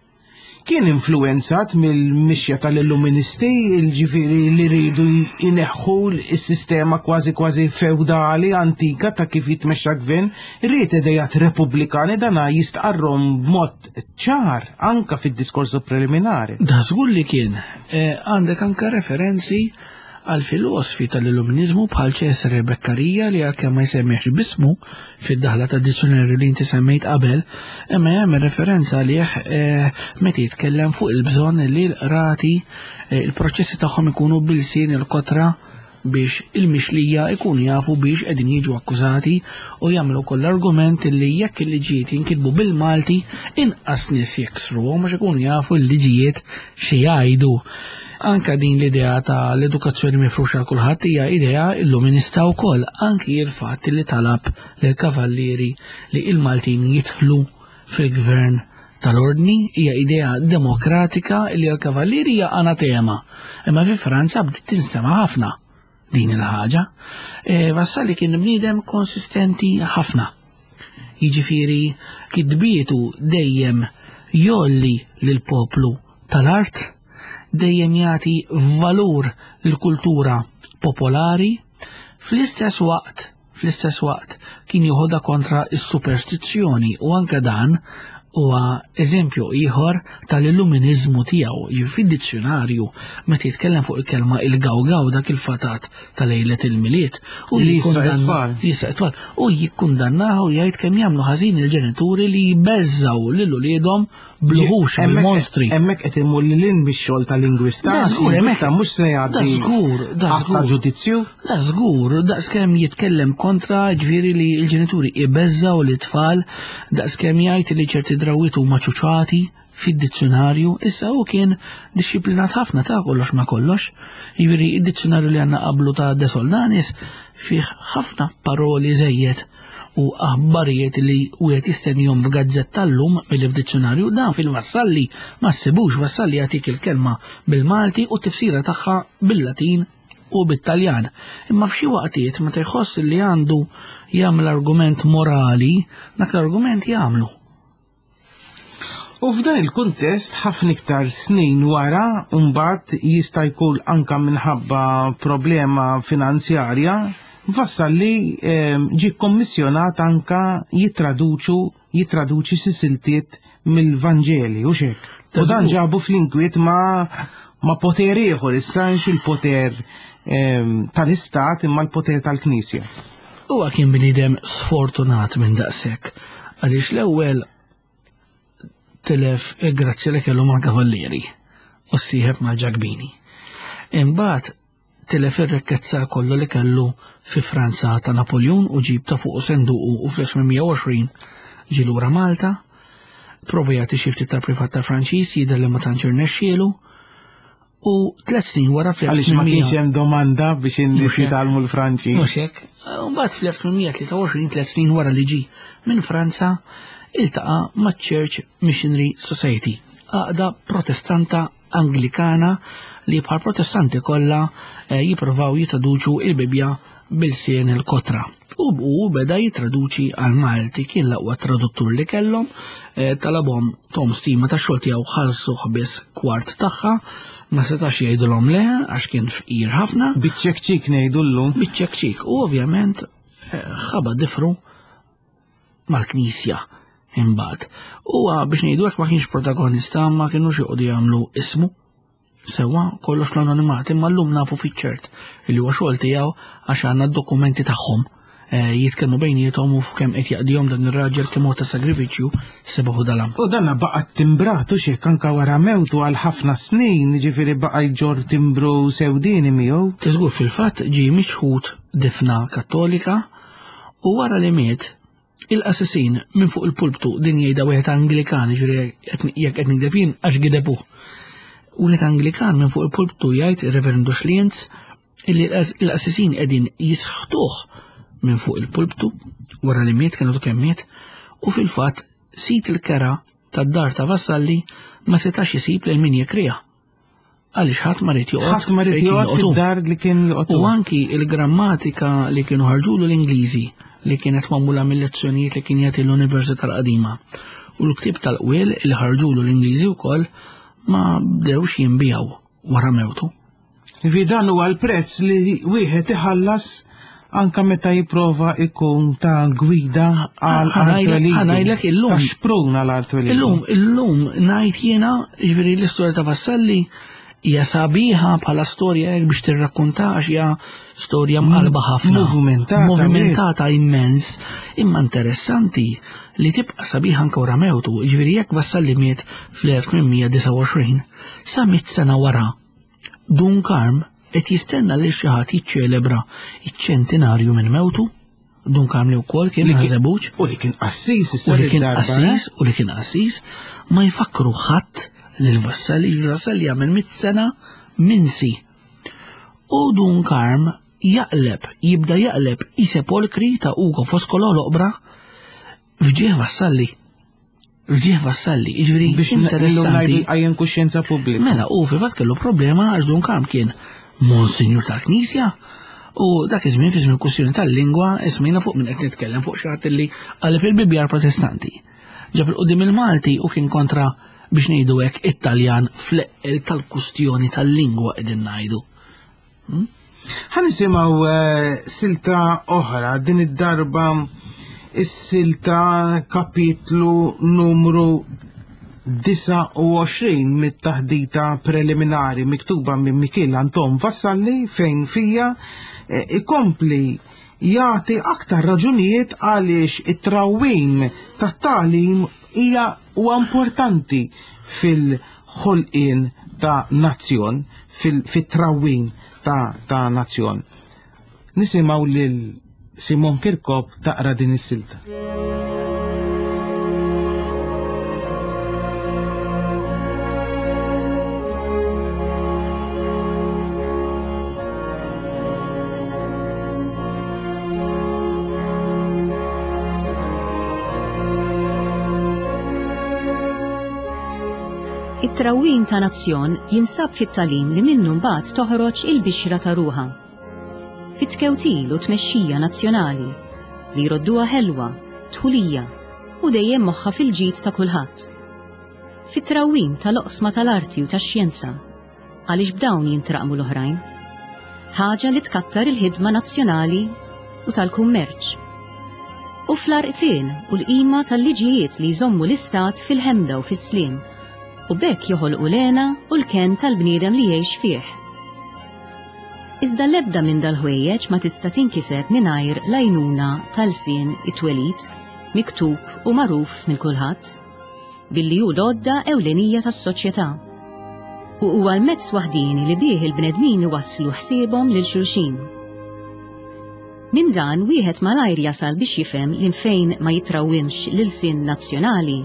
kien influenzat mill-mixja tal-illuministi, il-ġifieri li rridu jneħħu s-sistema kważi kważi feudali antika ta' kif jitmexxa gvern, rrid idejat repubblikani, dana jistqarrhom b'mod ċar anka fid-diskorsu preliminari. Da żgur li kien. Eh, għandek anka referenzi għal filosofi tal-illuminizmu bħal Cesare Beccaria li għalkemm ma jsemmiex bismu fid-daħla ta' dizzjonarju li inti semmejt qabel, imma jagħmel referenza għalih, eh, meta jitkellem fuq il-bżonn li l-qrati, eh, il-proċessi tagħhom ikunu bil-sien il-kotra biex il-mixlija ikunu jafu biex qegħdin jiġu akkużati, u jagħmlu koll argument li jekk il-liġijiet jinkitbu bil-Malti inqas nies jiksruhom għax ikunu jafu l-liġijiet xi jgħidu. Anka din l-idea ta' l-edukazzjoni mifruxa għal kulħadd hija idea illuminista wkoll, anki il-fatt li talab lill-kavallieri li il-Maltin jidħlu fil-gvern tal-ordni hija idea demokratika li għal-kavallieri hija anatema. Imma fi Franza bdiet tinstema' ħafna din il-ħaġa. E, Vassalli kien bniedem konsistenti ħafna. Jiġifieri kitbietu dejjem jolli lill-poplu tal-art, dejjem jagħti valur lill-kultura popolari, fl-istess waqt, fl-istess waqt kien joħodha kontra s-superstizzjoni, u anke dan Huwa eżempju ieħor tal-illuminizmu tiegħu. Fid-dizzjonarju meta jitkellem fuq il-kelma il-gawgaw, dak il-fatat ta' lejlet il-Milied, u Li jisraq it-tfal. Jisraq it-tfal. U jikkundannahu u jgħid kemm jagħmlu ħażin il-ġenituri li jbeżżaw lil uliedhom bl-uħux, bil-monstri. Hemmhekk qed imur lil hinn mix-xogħol ta' lingwista. Da żgur, Lingwista hemmhekk- mhux se jgħaddi Da żgur, da att ta' żgur. ġudizzju. Da żgur, daqskemm jitkellem kontra, ġifieri, li l-ġenituri ibeżżaw l-tfal, daqskemm jgħid li ċerti drawwiet huma ċuċati fid-dizzjonarju. Issa hu kien disciplinat ħafna ta' kollox ma kollox. Jiġifieri id-dizzjonarju li għandna qablu ta' De Soldanis fih ħafna paroli żejjed u aħbarijiet li wieħed jistennihom f'gazzetta llum milli f'dizzjonarju. Dan fil-Vassalli ma ssibux. Vassalli jagħtik il-kelma bil-Malti u t-tifsira tagħha bil-Latin u bit-Taljan. Imma f'xi waqtiet meta jħoss li għandu jagħmel argument morali, dak l-argument jagħmlu. U f'dan il-kuntest, ħafna iktar snin wara, mbagħad jista' jkun anka minħabba problema finanzjarja, Vassalli ehm, ġie kommissjonat anka jitraduċu jitraduċi xi siltiet mill-Vanġeli u xek. U dan ġabu fl-inkwiet ma ma poter ieħor, issa il-poter ehm, tal-Istat imma l-poter tal-Knisja. Huwa kien bniedem sfortunat minn daqshekk, għaliex l-ewwel tilef il-grazzja li kellu mal-kavallieri u ssieħeb mal-Ġakbini. Imbagħad tilef ir-rikkezza kollu li kellu fi Franza ta' Napoleon u ġib ta' fuq senduqu u fl-elf tmien mija u għoxrin ġie lura Malta, prova jagħti xi ftit tal-privat tal-Franċiż, jidher li ma tantx irnexxielu, u tliet snin wara Għaliex ma kienx fl-elf tmien mija hemm domanda biex in-nies Mhux hekk. jitgħallmu l-Franċiż. Mhux hekk. Mbagħad fl-elf tmien mija tlieta u għoxrin, tliet snin wara li ġie minn Franza, iltaqa' maċ-Church Missionary Society, għaqda protestanta Anglikana li bħal protestanti kollha eh, jippruvaw jitraduċu il-Bibja b'ilsien il-kotra. U u beda jitraduċi għal Malti, kien l-aqwa traduttur li kellhom, eh, talabhom tom stima ta' xogħol tiegħu, ħallsu biss kwart tagħha, ma setax jgħidulhom le għax kien fqir ħafna. Biċ-ċekċik ngħidu llum. Biċ-ċekċik, u ovvjament eh, ħaba difru mal-Knisja imbagħad. Huwa, biex ngħidu hekk, ma kienx protagonista, ma kienux joqogħdu jagħmlu ismu. Sewwa, kollox l-anonimat, imma llum nafu fiċ-ċert li huwa xogħol tiegħu għax għandna d-dokumenti tagħhom. Eh, jitkellmu bejniethom u fuq kemm qed jaqdihom dan ir-raġel, kemm huwa ta' sagrifiċċju sebaħu dalam. U danna baqa timbratu xek anka wara mewtu għal ħafna snin, ġifieri baqa jġor timbru sewdini miegħu. Tiżgur, fil-fatt ġie miċħud difna Kattolika u wara li miet il-qassisin minn fuq il-pulptu, din jgħidha wieħed Anglikan, ġifieri jekk qed nigdeb jien għax gidebuh. Wieħed Anglikan minn fuq il-pulptu jgħid, ir-Reverend Schlienz, illi l-qassisin qegħdin jisħtuh minn fuq il-pulptu wara li miet, kienu kemm miet, u fil-fatt sid il-kera tad-dar ta' Vassalli ma setax isib lil min jekriha. Għaliex ħadd ma ried joqgħod Ħadd ma ried fejn kien joqgħod joqgħod hu. fid-dar li kien joqgħod. U anki il-grammatika li kienu ħarġulu l-Ingliżi, li kienet magħmula mill-lezzjonijiet li kien jagħti l-Università l-qadima, u l-ktib tal-qwiel li ħarġulu l-Ingliżi wkoll ma bdewx jinbijaw wara mewtu. Vi dan huwa l-prezz li wieħed iħallas anka meta jipprova ikun ta' gwida għal Ħa ngħidlek- ħa ngħidlek illum. Ta' xprun għal art twelidu. Illum, illum ngħid jiena, ġifieri l-istorja ta' Vassalli hija sabiħa bħala storja hekk biex tirrakkonta għax hija storja mqalba ħafna. Movimentata, Movimentata immens, imma interessanti li tibqa' sabiħa anke wara mewtu. Ġifieri jekk Vassalli miet fl-elf tmien mija disgħa u għoxrin, sa mitt sena wara, Dun Karm qed jistenna li xi ħadd jiċċelebra iċ-ċentinarju minn mewtu. Dun Karm li wkoll kien Li kien- Ħaż-Żebbuġ U li kien qassis issa u li kien darba, eh? qassis u li kien qassis, ma jfakru ħadd lil Vassalli. Vassalli jagħmel mitt sena minsi. U Dun Karm jaqleb, jibda jaqleb i sepolkri ta' Ugo Foscolo l-oqbra f'ġieħ Vassalli. F'ġieħ Vassalli, jiġifieri Biex interessanti. għajjen kuxjenza pubblika. Mela, u fil-fatt kellu problema għax Dun Karm kien Monsinjur tal-Knisja u dak iż-żmien, fi żmien kwistjoni tal-lingwa, ismina fuq minn qed nitkellem, fuq xi ħadd li qaleb il-Bibbja Protestanti. Ġab il-qudiem il-Malti u kien kontra, biex ngħidu hekk, Italjan fl-eqqel tal-kustjoni tal-lingwa qegħdin ngħidu. Ħa nisimgħu eh, silta oħra, din id-darba is-silta kapitlu numru disgħa u għoxrin mit-taħdita preliminari miktuba minn Mikiel Anton Vassalli, fejn fija ikompli jagħti aktar raġunijiet għaliex it-trawwim tat-tagħlim hija huwa importanti fil-ħolqien ta' nazzjon, fit-trawwim ta', ta' nazzjon. Nisimgħu lil Simon Kirkop taqra din is-silta. It-trawwim ta' nazzjon jinsab fit-tagħlim li minnu mbagħad toħroġ il-bixra ta' ruħha. Fit-tkewtil u tmexxija nazzjonali li jrodduha ħelwa, tħulija u dejjem moħħa fil-ġid ta' kulħadd. Fit-trawwim tal-oqsma tal-arti u tax-xjenza, għaliex b'dawn jintraqmu l-oħrajn. Ħaġa li tkattar il-ħidma nazzjonali u tal-kummerċ. U fl-arqfien u l-qima tal-liġijiet li jżommu l-istat fil-ħemda u fis-sliem, u bekk joħolqu l-għena u l-ken tal-bniedem li jgħix fih. Iżda l-ebda minn dal-ħwejjeġ ma tista' tinkiseb mingħajr l-għajnuna tal-sien it-twelid, miktub u magħruf minn kulħadd, billi hu l-għodda ewlenija tas-soċjetà. U huwa l-mezz waħdini li bih il-bnedmin iwasslu ħsiebhom lil xulxin. Minn dan wieħed malajr jasal biex jifhem li fejn ma jitrawwimx l-ilsien nazzjonali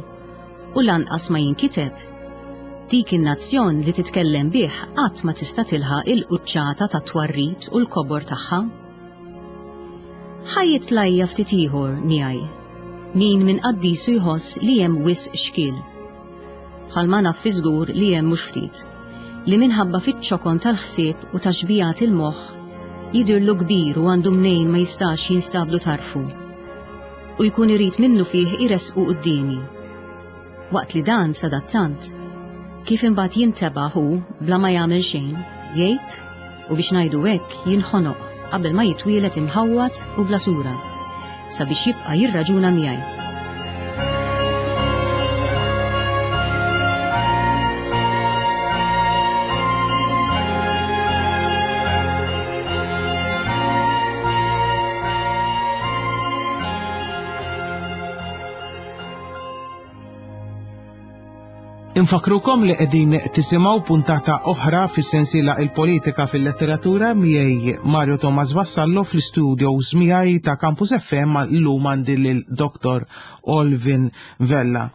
u lanqas ma jinkiteb, dik in-nazzjon li titkellem bih qatt ma tista' tilħaq il-quċċata tat-twarrid u l-kobor tagħha. Ħa jitlajja ftit ieħor miegħi, min minn qaddisu jħoss li hemm wisq xkiel. Bħalma naf fi żgur li hemm mhux ftit, li minħabba fiċ-ċokon tal-ħsieb u taxbijat il-moħħ jidhirlu kbir u għandu mnejn ma jistax jinstablu tarfu, u jkun irid minnu fih iresqu quddiemi. Waqt li dan sadattant, kif imbagħad jintebaħ hu bla ma jagħmel xejn, jgħib u biex ngħidu hekk jinħonoq qabel ma jitwielet imħawwad u bla sura, sabiex jibqa' jirraġuna miegħi. Infakrukom li qegħdin tisimgħu puntata oħra fis-sensiela Il-Politika fil-Letteratura miegħi Mario Thomas Vassallo fl-istudios miegħi ta' Campus F M llum għandi lil Doktor Olvin Vella.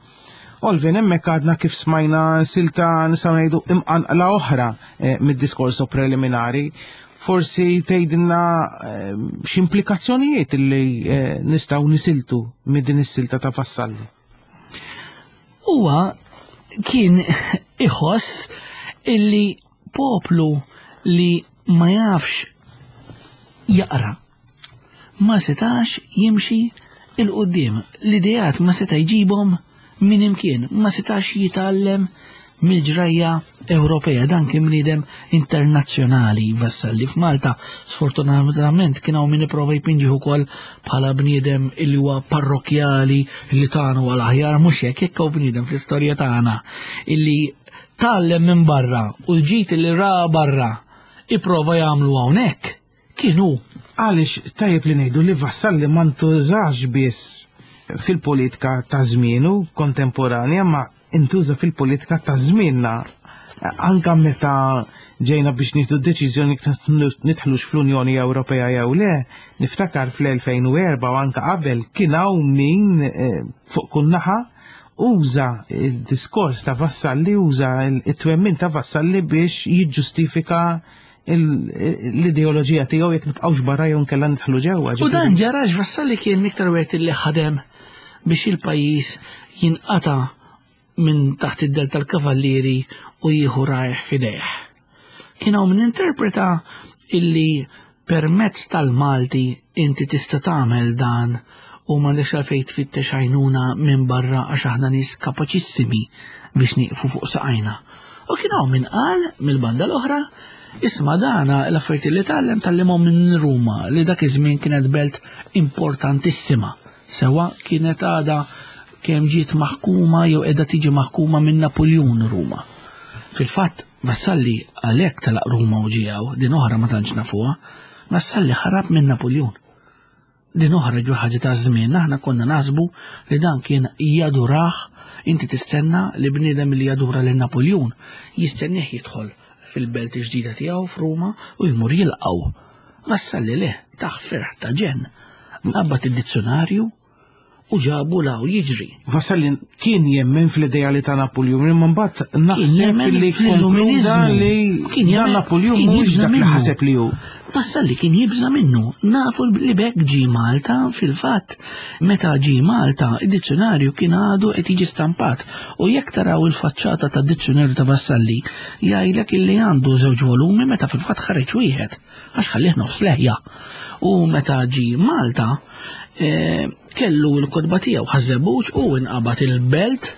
Olvin, hemmhekk għadna kif smajna silta nistgħu ngħidu imqanqla oħra eh, mid-diskorso preliminari. Forsi tgħidilna eh, x'implikazzjonijiet li eh, nistgħu nisiltu minn din is-silta ta' Vassalli. Huwa kien iħoss illi poplu li ma jafx jaqra ma setax jimxi il-qoddim, l-idejat ma seta jġibhom minn imkien, ma setax jitgħallem mill-ġrajja Ewropea. Dan kien bniedem internazzjonali Vassalli. F'Malta sfortunatament kien hawn min ipprova jpinġih ukoll bħala bniedem illi huwa parrokjali li tagħna huwa l-aħjar, mhux hekk, hekk hawn bniedem fl-istorja tagħna illi tgħallem minn barra u l-ġid li ra barra ipprova jagħmlu hawnhekk kien hu. Għaliex tajjeb li ngħidu li Vassalli ma ntużax biss fil-politika ta' żmienu kontemporanja, ma intuża fil-politika ta' żmienna. Anka meta ġejna biex nieħdu deċiżjoni nidħlux fl-Unjoni Ewropea jew le, niftakar fl-elfejn u erba' u anka qabel kien hawn min fuq kull naħa uża il-diskors ta' Vassalli, uża it-twemmin ta' Vassalli biex jiġġustifika l-ideoloġija tiegħu jekk nibqgħux barra jew nkella nidħlu ġewwa. U dan ġara għax Vassalli kien iktar wieħed li ħadem biex il-pajjiż jinqata' minn taħt id-del tal-kavallieri u jieħu rajh f'idejh. Kien hawn min interpreta illi permezz tal-Malti inti tista' tagħmel dan u m'għandekx għalfejn tfittex għajnuna minn barra għax aħna nies kapaċissimi biex nieqfu fuq saqajna. U kien hawn min qal mill-banda l-oħra, isma' dana l-affarijiet li tgħallem tgħallimhom minn Ruma li dak iż-żmien kienet belt importantissima Sewa kienet għada kemm ġiet maħkuma jew qiegħda tiġi maħkuma minn Napoljun Ruma. Fil-fatt Vassalli għalhekk telaq Ruma u ġiew, din oħra ma tantx nafuha, Vassalli ħarab minn Napoljun. Din oħra ġu ħaġa ta' żmien, aħna konna naħsbu li dan kien jadurah, inti tistenna li bniedem li jadura lil Napoljun jistennieh jidħol fil-belt ġdida tiegħu f'Ruma u jmur jilqgħu. Vassalli le, taħ ferħ ta' ġenn. Qabad id-dizzjonarju u ġabu law jiġri. Vassalli kien jemmen fl-ideali ta' Napoljun, imma mbagħad naħseb jemmen li fl-illuminizmu. konkluda li Kien dan jemmen- Napoljun kien mhuwiex jibża' dak li minnu. ħaseb li hu. Vassalli kien jibża' minnu, nafu li bekk ġie Malta, fil-fatt, meta ġie Malta, id-dizzjonarju kien għadu qed jiġi stampat u jekk taraw il-faċċata ta' dizzjonarju ta' Vassalli, jgħidlek illi għandu żewġ volumi meta fil-fatt ħareġ wieħed, għax ħallih nofs leħja. U meta ġie Malta, eh, kellu l-kotba tiegħu Ħaż-Żebbuġ u inqabad il-belt,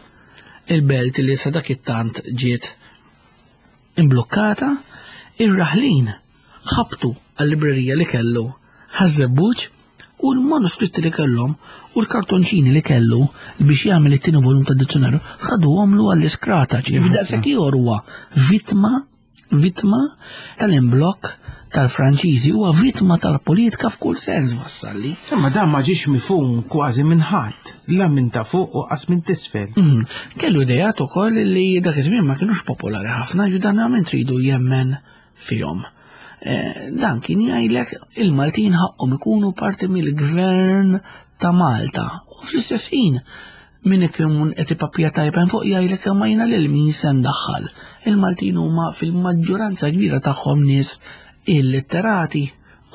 il-belt li sa dak it-tant ġiet imblukkata, ir-raħlin ħabtu għal-librerija li kellu Ħaż-Żebbuġ u l-manuskritti li kellhom u l-kartonċini li kellu biex jagħmel it-tieni volum tad-dizzjonarju ħaduhomlu għall-iskrata, ġifieri daqshekk ieħor huwa vittma vittma tal-imblokk tal-Franċiżi, huwa vittma tal-politika f'kull sens Vassalli. Imma dan ma ġiex mifhum kważi minn ħadd, la minn ta' fuq u qas minn t'isfel. Mhm. Kellu idejat ukoll li dak iż-żmien ma kienux popolari ħafna, ġu dan għamil tridu jemmen fihom. Eh, dan kien jgħidlek il-Maltin ħaqhom ikunu parti mill-gvern ta' Malta. U fl-istess ħin min ikun qed ipappija tajben fuq jgħidlek imma jiena lil min se ndaħħal. Il-Maltin huma fil-maġġoranza kbira tagħhom nies illitterati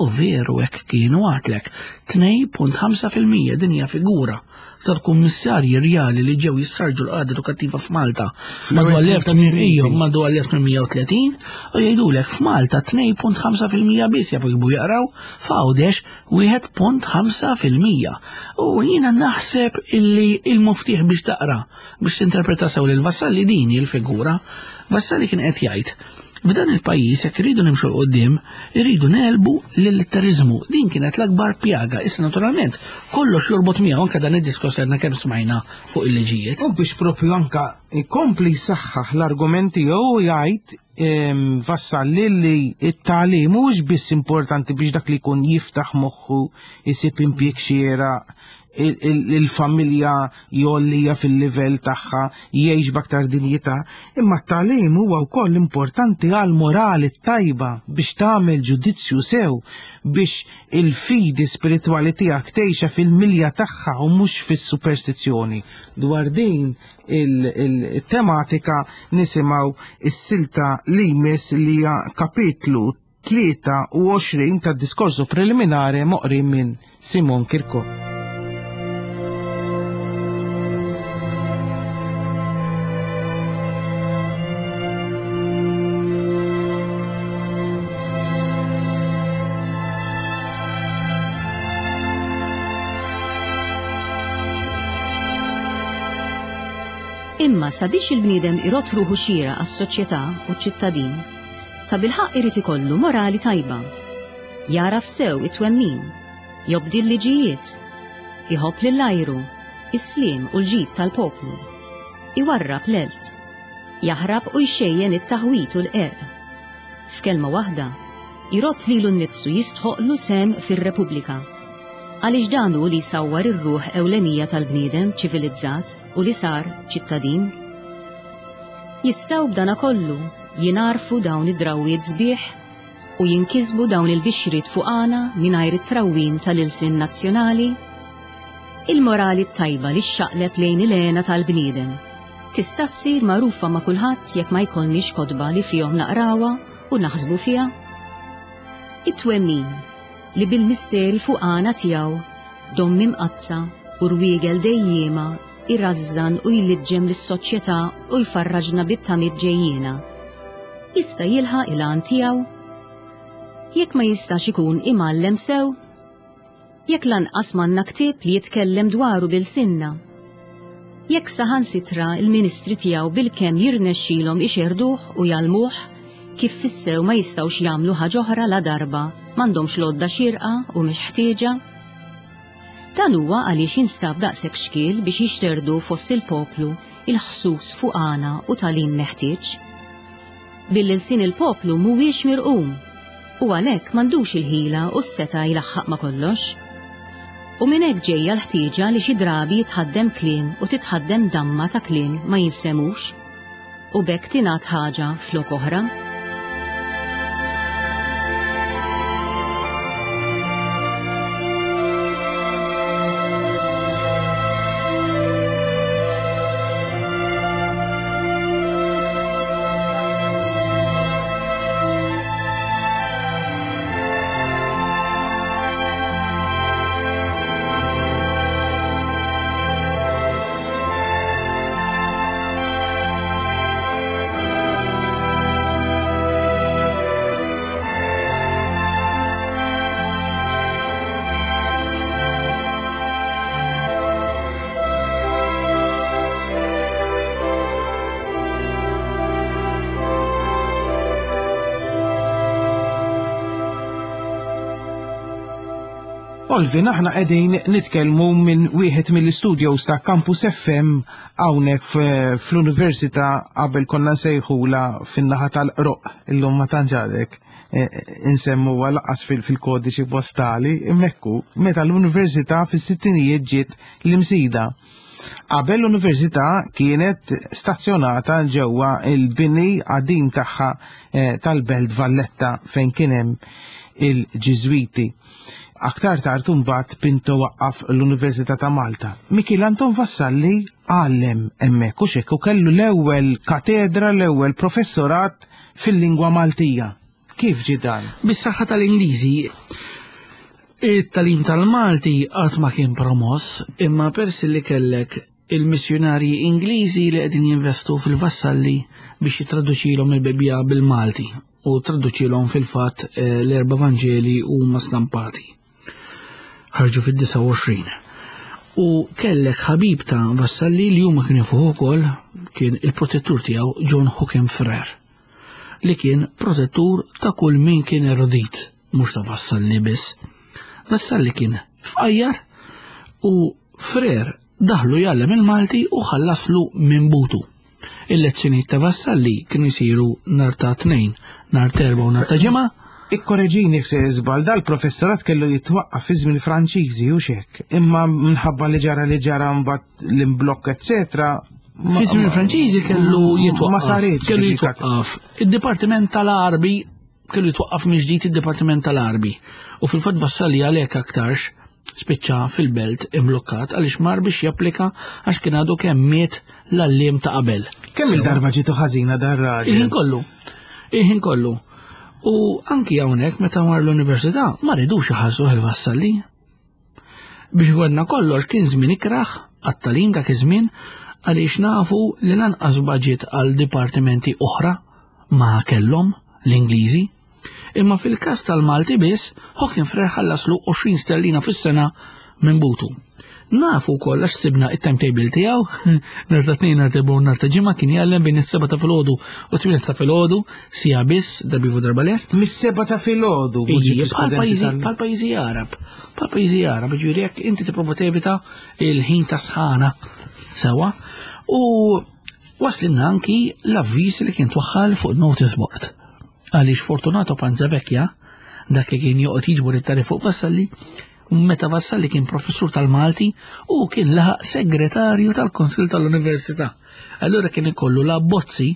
u veru hekk kienu għatlek. tnejn punt ħamsa fil-mija din hija figura tal-kummissarji rjali li ġew jistħarġu l-qagħda edukattiva f'Malta Fl-ewwel madwar snin l-elf tal-Ingliżi. tmien madwar l-elf tmien mija u tletin u jgħidulek f'Malta tnejn punt ħamsa fil-mija biss jafu jikbu jaqraw, f'Għawdex wieħed punt ħamsa fil-mija. U jiena naħseb illi il-muftiħ biex taqra, biex tinterpreta sew lil Vassalli din hi l-figura. Vassalli kien qed jgħid f'dan il-pajjiż jekk irridu nimxu 'l quddiem, irridu nelbu l-illitteriżmu. Din kienet l-akbar pjaga. Issa naturalment kollox jorbot miegħu anke dan id-diskors li għadna kemm smajna fuq il-liġijiet. U biex propju anka ikompli jsaħħaħ l-argumenti jew jgħid, ehm, Vassalli li t-tagħlim mhuwiex biss importanti biex dak li jkun jiftaħ moħħu, isib impjieg xieraq, il-, il-, il-familja jgħollija fil-livell tagħha, jgħix b'aktar dinjità, imma t-tagħlim huwa wkoll importanti għal morali tajba biex tagħmel ġudizzju sew, biex il-fidi spiritwali tiegħek tgħixha fil-milja tagħha u mhux fis-superstizzjoni. Dwar din il-, il-tematika nisimgħu is-silta li jmiss li hija kapitlu tlieta u għoxrin tad-diskorsu preliminari moqri minn Simon Kirkop. Imma sabiex il-bniedem irot ruħu xira għas-soċjetà u ċ-ċittadin, ta' bilħaq irid ikollu morali tajba. Jaraf sew it-twemmin, jobdi l-liġijiet, iħobb lill-ajru, is-sliem u l-ġid tal-poplu, iwarrab l-elt, jaħrab u jxejjen it-taħwit u l-qerq. F'kelma waħda, irot lilu nnifsu jistħoqlu sem fir-Repubblika. Għaliex dan hu li jsawwar ir-ruħ ewlenija tal-bniedem ċivilizzat u li sar ċittadin. Jistgħu b'dana kollu jingħarfu dawn id-drawwiet sbieħ u jinkisbu dawn il-bixriet fuqana mingħajr it-trawwim tal-ilsien nazzjonali? Il-morali t-tajba li xxaqleb lejn il-għena tal-bniedem tista' ssir magħrufa ma' kulħadd jekk ma jkollniex kotba li fihom naqrawha u naħsbu fiha? It-twemmin li bil-misteri fuqana tiegħu dommi mqazza u rwiegel dejjiema irrażżan u jliġġem lis-soċjetà u jfarraġna bit-tamiet ġejjiena. Jista' jilħaq il-għan tiegħu? Jekk ma jistax ikun imgħallem sew? Jekk lanqas m'għandna ktieb li jitkellem dwaru bil-sinna? Jekk saħansitra il-ministri tiegħu bilkemm jirnexxilhom ixerduh u jgħallmuh, kif fissew ma jistgħux jagħmlu ħaġa oħra la darba m'għandhomx lodda xierqa u mhix ħtieġa? Dan huwa għaliex jinstab daqshekk xkiel biex jixterdu fost il-poplu il-ħsus fuqana u tagħlim meħtieġ. Billi lsien il-poplu mhuwiex mirqum u għalhekk m'għandux il-ħila u s-seta jlaħħaq ma' kollox. U minn hekk ġejja l-ħtieġa li xi drabi jitħaddem kliem u titħaddem damma ta' kliem ma jinftemux u b'hekk tingħad ħaġa flok oħra. Olvin, aħna qegħdin nitkellmu minn wieħed mill-istudios ta' Campus F M hawnhekk fl-Università qabel konna nsejħula fin-naħa tal-Qroq, illum ma tantx għadek insemmuha laqas fil-kodiċi postali, imekku meta l-Università fis-sittinijiet ġiet l-Imsida. Qabel l-Università kienet stazzjonata ġewwa il-bini qadim tagħha tal-Belt Valletta fejn kien hemm il-Ġiżwiti. Aktar tard imbagħad Pinto waqqaf l-Università ta' Malta. Mikiel Anton Vassalli għallem hemmhekk u x'hekk u kellu l-ewwel katedra, l-ewwel professorat fil-lingwa Maltija. Kif ġie dan? Bis-saħħa tal-Ingliżi, it-tagħlim tal-Malti qatt ma kien promoss, imma persi li kellek il-missjonarji Ingliżi li qegħdin jinvestu fil-Vassalli biex jitraduċilhom il-Bibbja bil-Malti u traduċilhom fil-fatt l-erba' Vanġeli huma stampati. Ħarġu fid-disgħa u għoxrin. U kellek ħabib ta' Vassalli li huma kienu jafuh ukoll, kien il-protettur tiegħu John Hookham Frere, li kien protettur ta' kull min kien erudit, mhux ta' Vassalli biss. Vassalli kien fqajjar u Frere daħlu jgħallem il-Malti u ħallaslu minn butu. Il-lezzjonijiet ta' Vassalli kienu jsiru nhar ta' tnejn, nhar ta' erba' u nhar ta' ġimgħa. Ikkoreġini f'se żball, dal-professorat kellu jitwaqqaf fi żmien Franċiżi u x'hekk, imma minħabba li ġara li ġara mbagħad l-imblokk eċetera. Fi żmien Franċiżi kellu jitwaqqaf. Ma saritx Kellu dik il-kat- jitwaqqaf. Id-Dipartiment tal-Għarbi kellu jitwaqqaf minn ġdid id-Dipartiment tal-Għarbi. U fil-fatt Vassalli għalhekk aktarx spiċċa fil-belt imblokkat għaliex mar biex japplika għax kien għadu kemm miet l-għalliem ta' qabel. Kemm il-darba ġietu ħażina dar raġel? Il-ħin kollu. Il-ħin kollu. U anki hawnhekk meta mar l-università ma ridux iħallsuh il-Vassalli. Biex għedna kollox kien żmien ikraħ għat-tagħlim dak iż-żmien għaliex nafu li lanqas budget għal dipartimenti oħra ma kellhom l-Ingliżi. Imma fil-każ tal-Malti biss, Hookham Frere ħallaslu għoxrin sterlina fis-sena minn butu. Nafu wkoll għax sibna it-timetable tiegħu, nhar ta' tnejn, nhar ta' erba' u nhar ta' ġimgħa kien jgħallem bejn is-seba' ta' filgħodu u tmien ta' filgħodu, sija biss, darba ivu darba le. Mis-seba' ta' filgħodu, Iġi, mhux bħal studenti pajjiżi, tal- bħal pajjiżi Arab, bħal pajjiżi Arab, ġifieri jekk inti tipprova tevita il-ħin ta' sħana sewwa. U waslinna anki l-avviż li kien twaħħal fuq notice board. Għaliex Fortunato Panzavecchia, dak li kien joqgħod jiġbor it-tarif fuq Vassalli, meta Vassalli kien professur tal-Malti u kien laħaq segretarju tal-Konsil tal-Università. Allura kien ikollu l-abbozzi,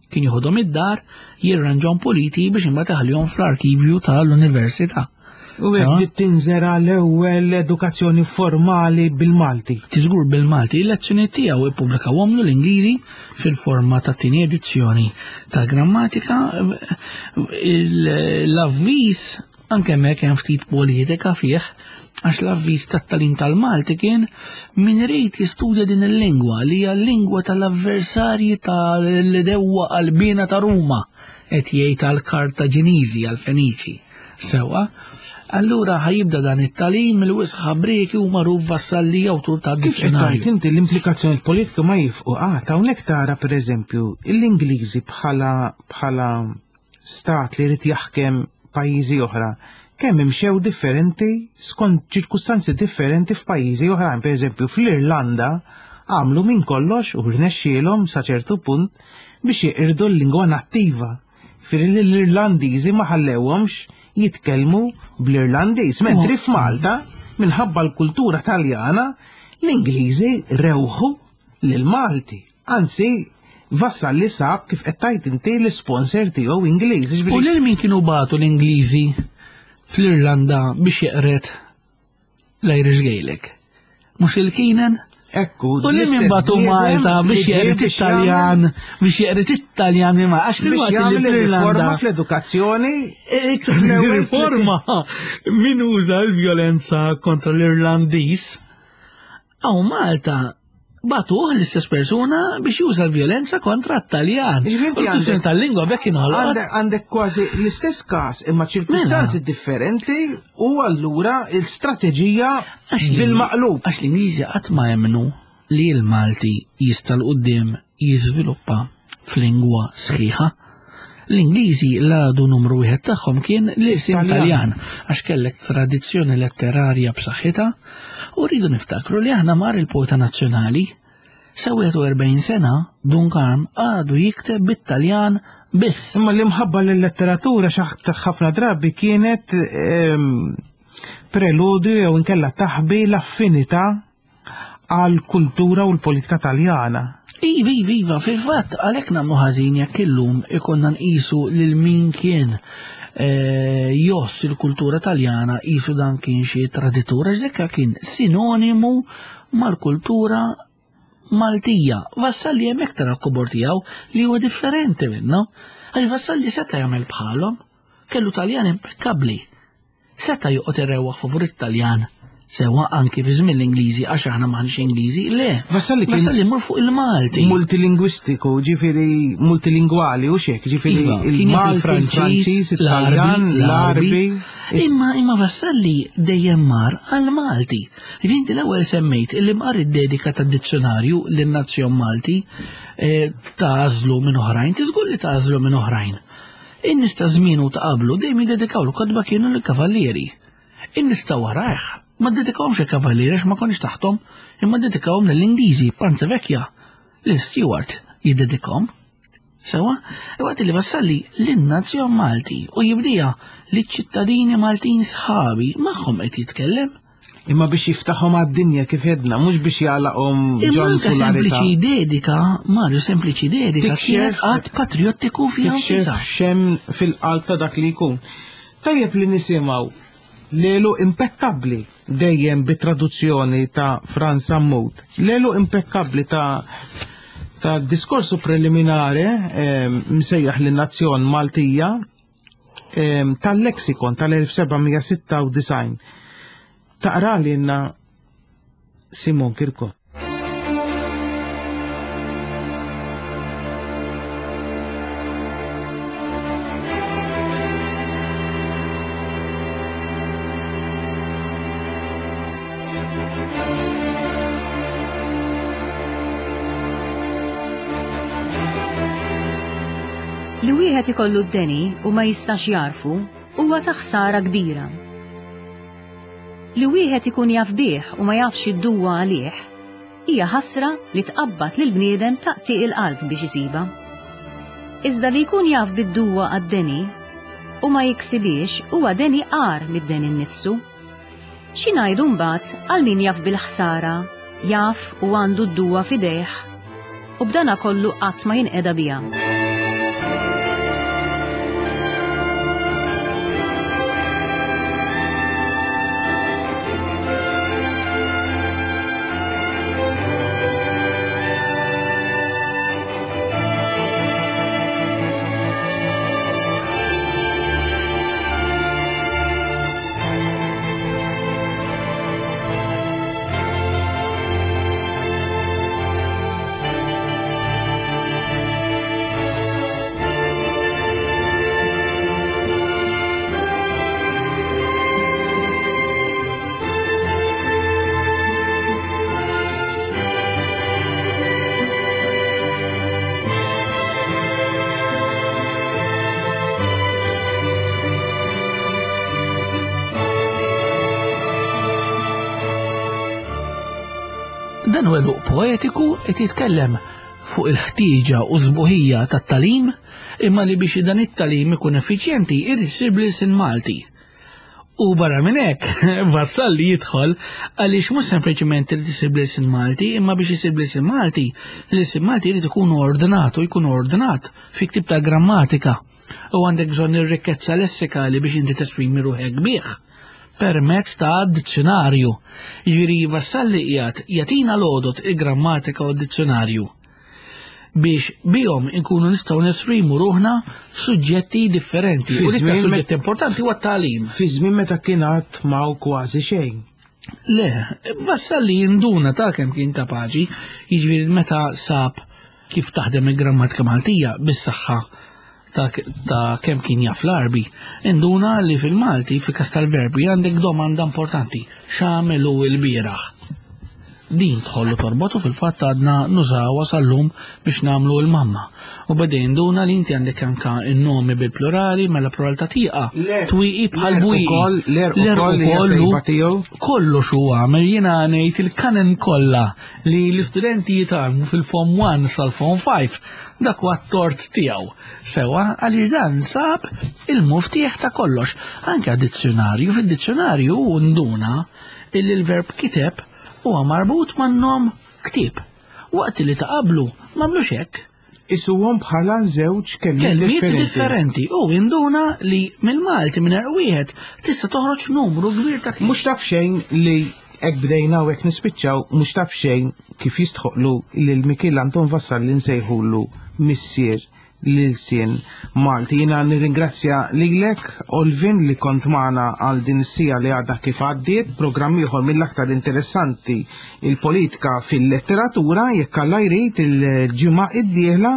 kien joħodhom id-dar, jirranġahom puliti biex imbagħad iħallihom fl-arkivju tal-Università. U hekk bdiet tinżera l-ewwel edukazzjoni formali bil-Malti. Tiżgur bil-Malti, il-lezzjoni tiegħu ippubblikawhomlu l-Ingliżi fil-forma ta' tieni edizzjoni ta' grammatika. L-avviż anke hemmhekk hemm ftit politika fih, għax l-avviż tat-tagħlim tal-Malti kien min irid jistudja din il-lingwa li hija l-lingwa tal-avversarji tal-dewwa qalbina ta' Ruma, qed jgħid għall-Kartaġiniżi, għall-Feniċi. Sewwa, allura ħajibda dan it-tagħlim mill-wisq ħabrieki u magħruf Vassalli awtur ta' Kif qed dizzjonarju. tgħid inti l-implikazzjoni politika ma jifqu qatt, hawnhekk tara pereżempju l-Ingliżi bħala, bħala stat li jrid jaħkem pajjiżi oħra, kemm imxew differenti skont ċirkustanzi differenti f'pajjiżi oħrajn. Per eżempju, fl-Irlanda għamlu minn kollox u rnexxielhom sa ċertu punt biex jeqirdu l-lingwa nattiva. Fir l-Irlandiżi ma ħallewhomx jitkellmu bl-Irlandiż, mentri f'Malta minħabba l-kultura Taljana l-Ingliżi rewħu lill-Malti. Anzi, Vassalli sab kif qed tgħid inti l-sponsor tiegħu Ingliż. U lil min kienu bagħtu l-Ingliżi fl-Irlanda biex jeqret l-Irish Gaelic? Mhux il-Keenan? Ekku, U lil min bagħtu Malta biex jeqret it-Taljan, biex jeqret it-Taljan imma għax biex fil-waqt li jagħmel fl-Irlanda riforma fl-edukazzjoni. Iktar riforma min uża l-vjolenza kontra l-Irlandiż. Aw Malta batuh l-istess persuna biex juża l-vjolenza kontra t-Taljan. Jiġifieri inti U l-kwistjoni għandek- tal-lingwa bekk inħolqot. Għandek għandek kważi l-istess każ imma ċirkustanzi differenti u allura l-istrateġija Għax l- bil-maqlub. Għax l-Ingliżi qatt ma jemmnu li l-Malti jista' 'l quddiem jiżviluppa f'lingwa sħiħa. L-Ingliżi l-għadu numru wieħed tagħhom kien l-ilsien Taljan. Taljan, għax kellek tradizzjoni letterarja b'saħħitha u rridu niftakru li aħna mar il-poeta nazzjonali sa wieħed u erbgħin sena Dun Karm għadu jikteb bit-Taljan biss. Imma l-imħabba l-letteratura xaħt ħafna drabi kienet ehm, preludju jew inkella taħbi l-affinità għal kultura u l-politika Taljana. Iva, iva, iva, fil-fatt, għalhekk nagħmlu ħażin jekk illum ikonna nqisu lil min kien, eh, joss il-kultura Taljana qisu dan kien xi traditur, għax dak kien sinonimu mal-kultura Maltija. Vassalli hemmhekk tara l-kobor tiegħu li huwa differenti minnu. Għax Vassalli seta' jagħmel bħalhom, kellu Taljan impekkabbli. Seta' joqgħod irewwaħ favur it-Taljan. Sewa anki fi żmien l-Ingliżi, għax aħna m'aħniex Ingliżi, le. Vassalli kien Vassalli mur fuq il-Malti. Multilingwistiku, ġifieri multilingwali u xek, ġifieri Iva, kien jaf il-Malti, il-Franċiż, il-Franċiż, it-Taljan, l-Għarbi, l-Għarbi. Imma, imma Vassalli dejjem mar għal-Malti. Ġifieri inti l-ewwel semmejt illi mqar id-dedika tad-dizzjonarju lin-nazzjon Malti, eh, tażlu minn oħrajn, tiżgur li tażlu minn oħrajn. In-nies ta' żmienu ta' qablu dejjem jiddedikaw l-kotba kienu lill-kavallieri. In-nies ta' warajh ma ddedikawhomx il-kavallieri għax ma konniex taħtom, imma ddedikawhom lill-Ingliżi, Panza Vecchia, lil Stewart jiddedikhom. Sewa, waqt li Vassalli lin-nazzjon Malti u jibdija liċ-ċittadini Maltin sħabi magħhom qed jitkellem. Imma biex jiftaħhom għad-dinja kif jedna, mhux biex jagħlaqhom Imma ġon anke solarità. sempliċi dedika, Mario, sempliċi dedika Tikxef- kienet qatt patriottiku fiha Tikxef nfisha. xem fil-qalb ta' dak li jkun. Tajjeb li nisimgħu lelu impekkabbli dejjem bit-traduzzjoni ta' Frans Sammut. Lelu impekkabbli ta' ta' diskorsu preliminare, ehm, msejjaħ lin-nazzjon Maltija, ehm, tal-lexikon tal-elf seba' mija sitta u disgħin. Taqra lilna Simon Kirkop. Li wieħed ikollu d-deni u ma jistax jarfu huwa ta' ħsara kbira. Li wieħed ikun jaf bih u ma jafx id-duwa għalih hija ħasra li tqabbad lil bniedem taqtiq il-qalb biex isiba. Iżda li jkun jaf bid-duwa għad-deni u ma jiksibiex huwa deni qar mid-deni nnifsu. Xi ngħidu mbagħad għal min jaf bil-ħsara, jaf u għandu d-duwa f'idejh u b'dana kollu qatt ma jinqeda biha. Dan huwa għeluq poetiku qed jitkellem fuq il-ħtieġa u sbuħija tat-tagħlim, imma li biex dan it-tagħlim ikun effiċjenti irid isir bl-ilsien Malti. U barra minn hekk, Vassalli jidħol għaliex mhux sempliċement irid isir bl-ilsien Malti, imma biex isir bl-ilsien Malti, l-ilsien Malti jrid ikun ordnat u jkun ordnat fi ktieb ta' grammatika. U għandek bżonn ir-rikkezza lessikali biex inti tesprimi ruħek bih permezz ta' dizzjonarju. Jiġifieri Vassalli qiegħed jagħtina l-għodod il-grammatika u d-dizzjonarju biex bihom inkunu nistgħu nesprimu ruħna f'suġġetti differenti. Fi U l-iktar żmien met- suġġett importanti huwa t-tagħlim. Fi żmien meta kien għad m'hawn kważi xejn. Le, Vassalli jinduna ta' kemm kien kapaċi, jiġifieri meta sab kif taħdem il-grammatika Maltija bis-saħħa ta', ta' kemm kien jaf l-Arbi, induna li fil-Malti, fil-kas tal-verbi, għandek domanda importanti, x'għamel hu l-bieraħ. Din tħollu torbotu fil-fatt għadna nużawha sal-lum biex nagħmlu l-mamma. U beda jinduna li inti għandek anka n-nomi bil-plurali, mela plural ta' tieqa. Le- Twieqi bħal l-erq bwieqi. ukoll- l-erq L-erq ukoll hija ukoll hu sejba tiegħu. Kollox hu għamel, jiena ngħid il-kanen kollha li l-istudenti jitgħallmu fil-Form one sal-Form five, dak huwa t-tort tiegħu. Sewa, għaliex dan sab il-muftieħ ta' kollox. Anke dizzjonarju, fid-dizzjonarju hu nduna illi l-verb kiteb huwa marbut man-nom ktieb. Waqt li ta' qablu m'għamlux hekk. Isuhom bħala żewġ kelmiet Kelmiet differenti. differenti. U induna li mill-Malti minn wieħed tista' toħroġ numru kbir ta' kliem. Mhux taf xejn li hekk bdejna u hekk nispiċċaw, mhux taf xejn kif jistħoqlu lil Mikiel Anton Vassalli nsejħulu missier l-ilsien Malti. Jiena nirringrazzja lilek, Olvin, li kont magħna għal din is-sija li għadha kif għaddiet, programm ieħor mill-aktar interessanti, il-politika fil-letteratura. Jekk Alla jrid, il-ġimgħa id-dieħla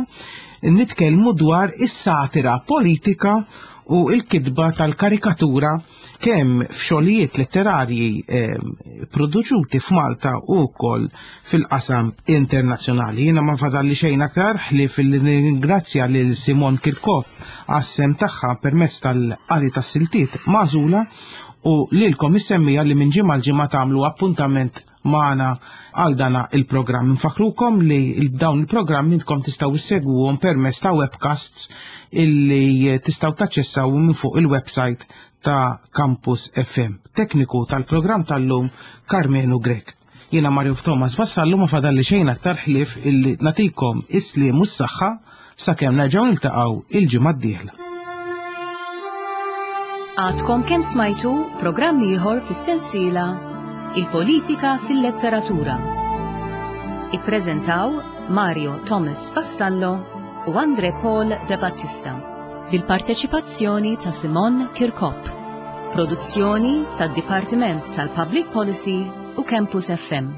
nitkellmu dwar is-satira politika u l-kitba tal-karikatura kemm f'xogħlijiet letterarji, eh, produċuti f'Malta u wkoll fil-qasam internazzjonali. Jiena ma fadalli xejn aktar ħlief li nirringrazzja lil Simon Kirkop għas-sehem tagħha permezz tal-qari tas-siltiet magħżula u lilkom is-semmiegħa li minn ġimgħa l-ġimgħa tagħmlu appuntament magħna għal dana il-programm. Nfakrukom li dawn il-programm intkom tistgħu issegwuhom permezz ta' webcasts illi tistgħu taċċessaw minn fuq il-website ta' Campus F M. Tekniku tal-programm tal-lum Carmenu Grek. Jiena Mario Thomas Vassallu ma fadalli xejn aktar ħlief illi natikom is-sliem u s-saħħa sakemm nerġgħu niltaqgħu il-ġimgħa d-dieħla. Għadkom kemm smajtu programm ieħor fis-sensiela Il-Politika fil-Letteratura. Ippreżentaw Mario Thomas Vassallo u Andre Paul De Battista bil-parteċipazzjoni ta' Simon Kirkop. Produzzjoni tad-Dipartiment tal-Public Policy u Campus F M.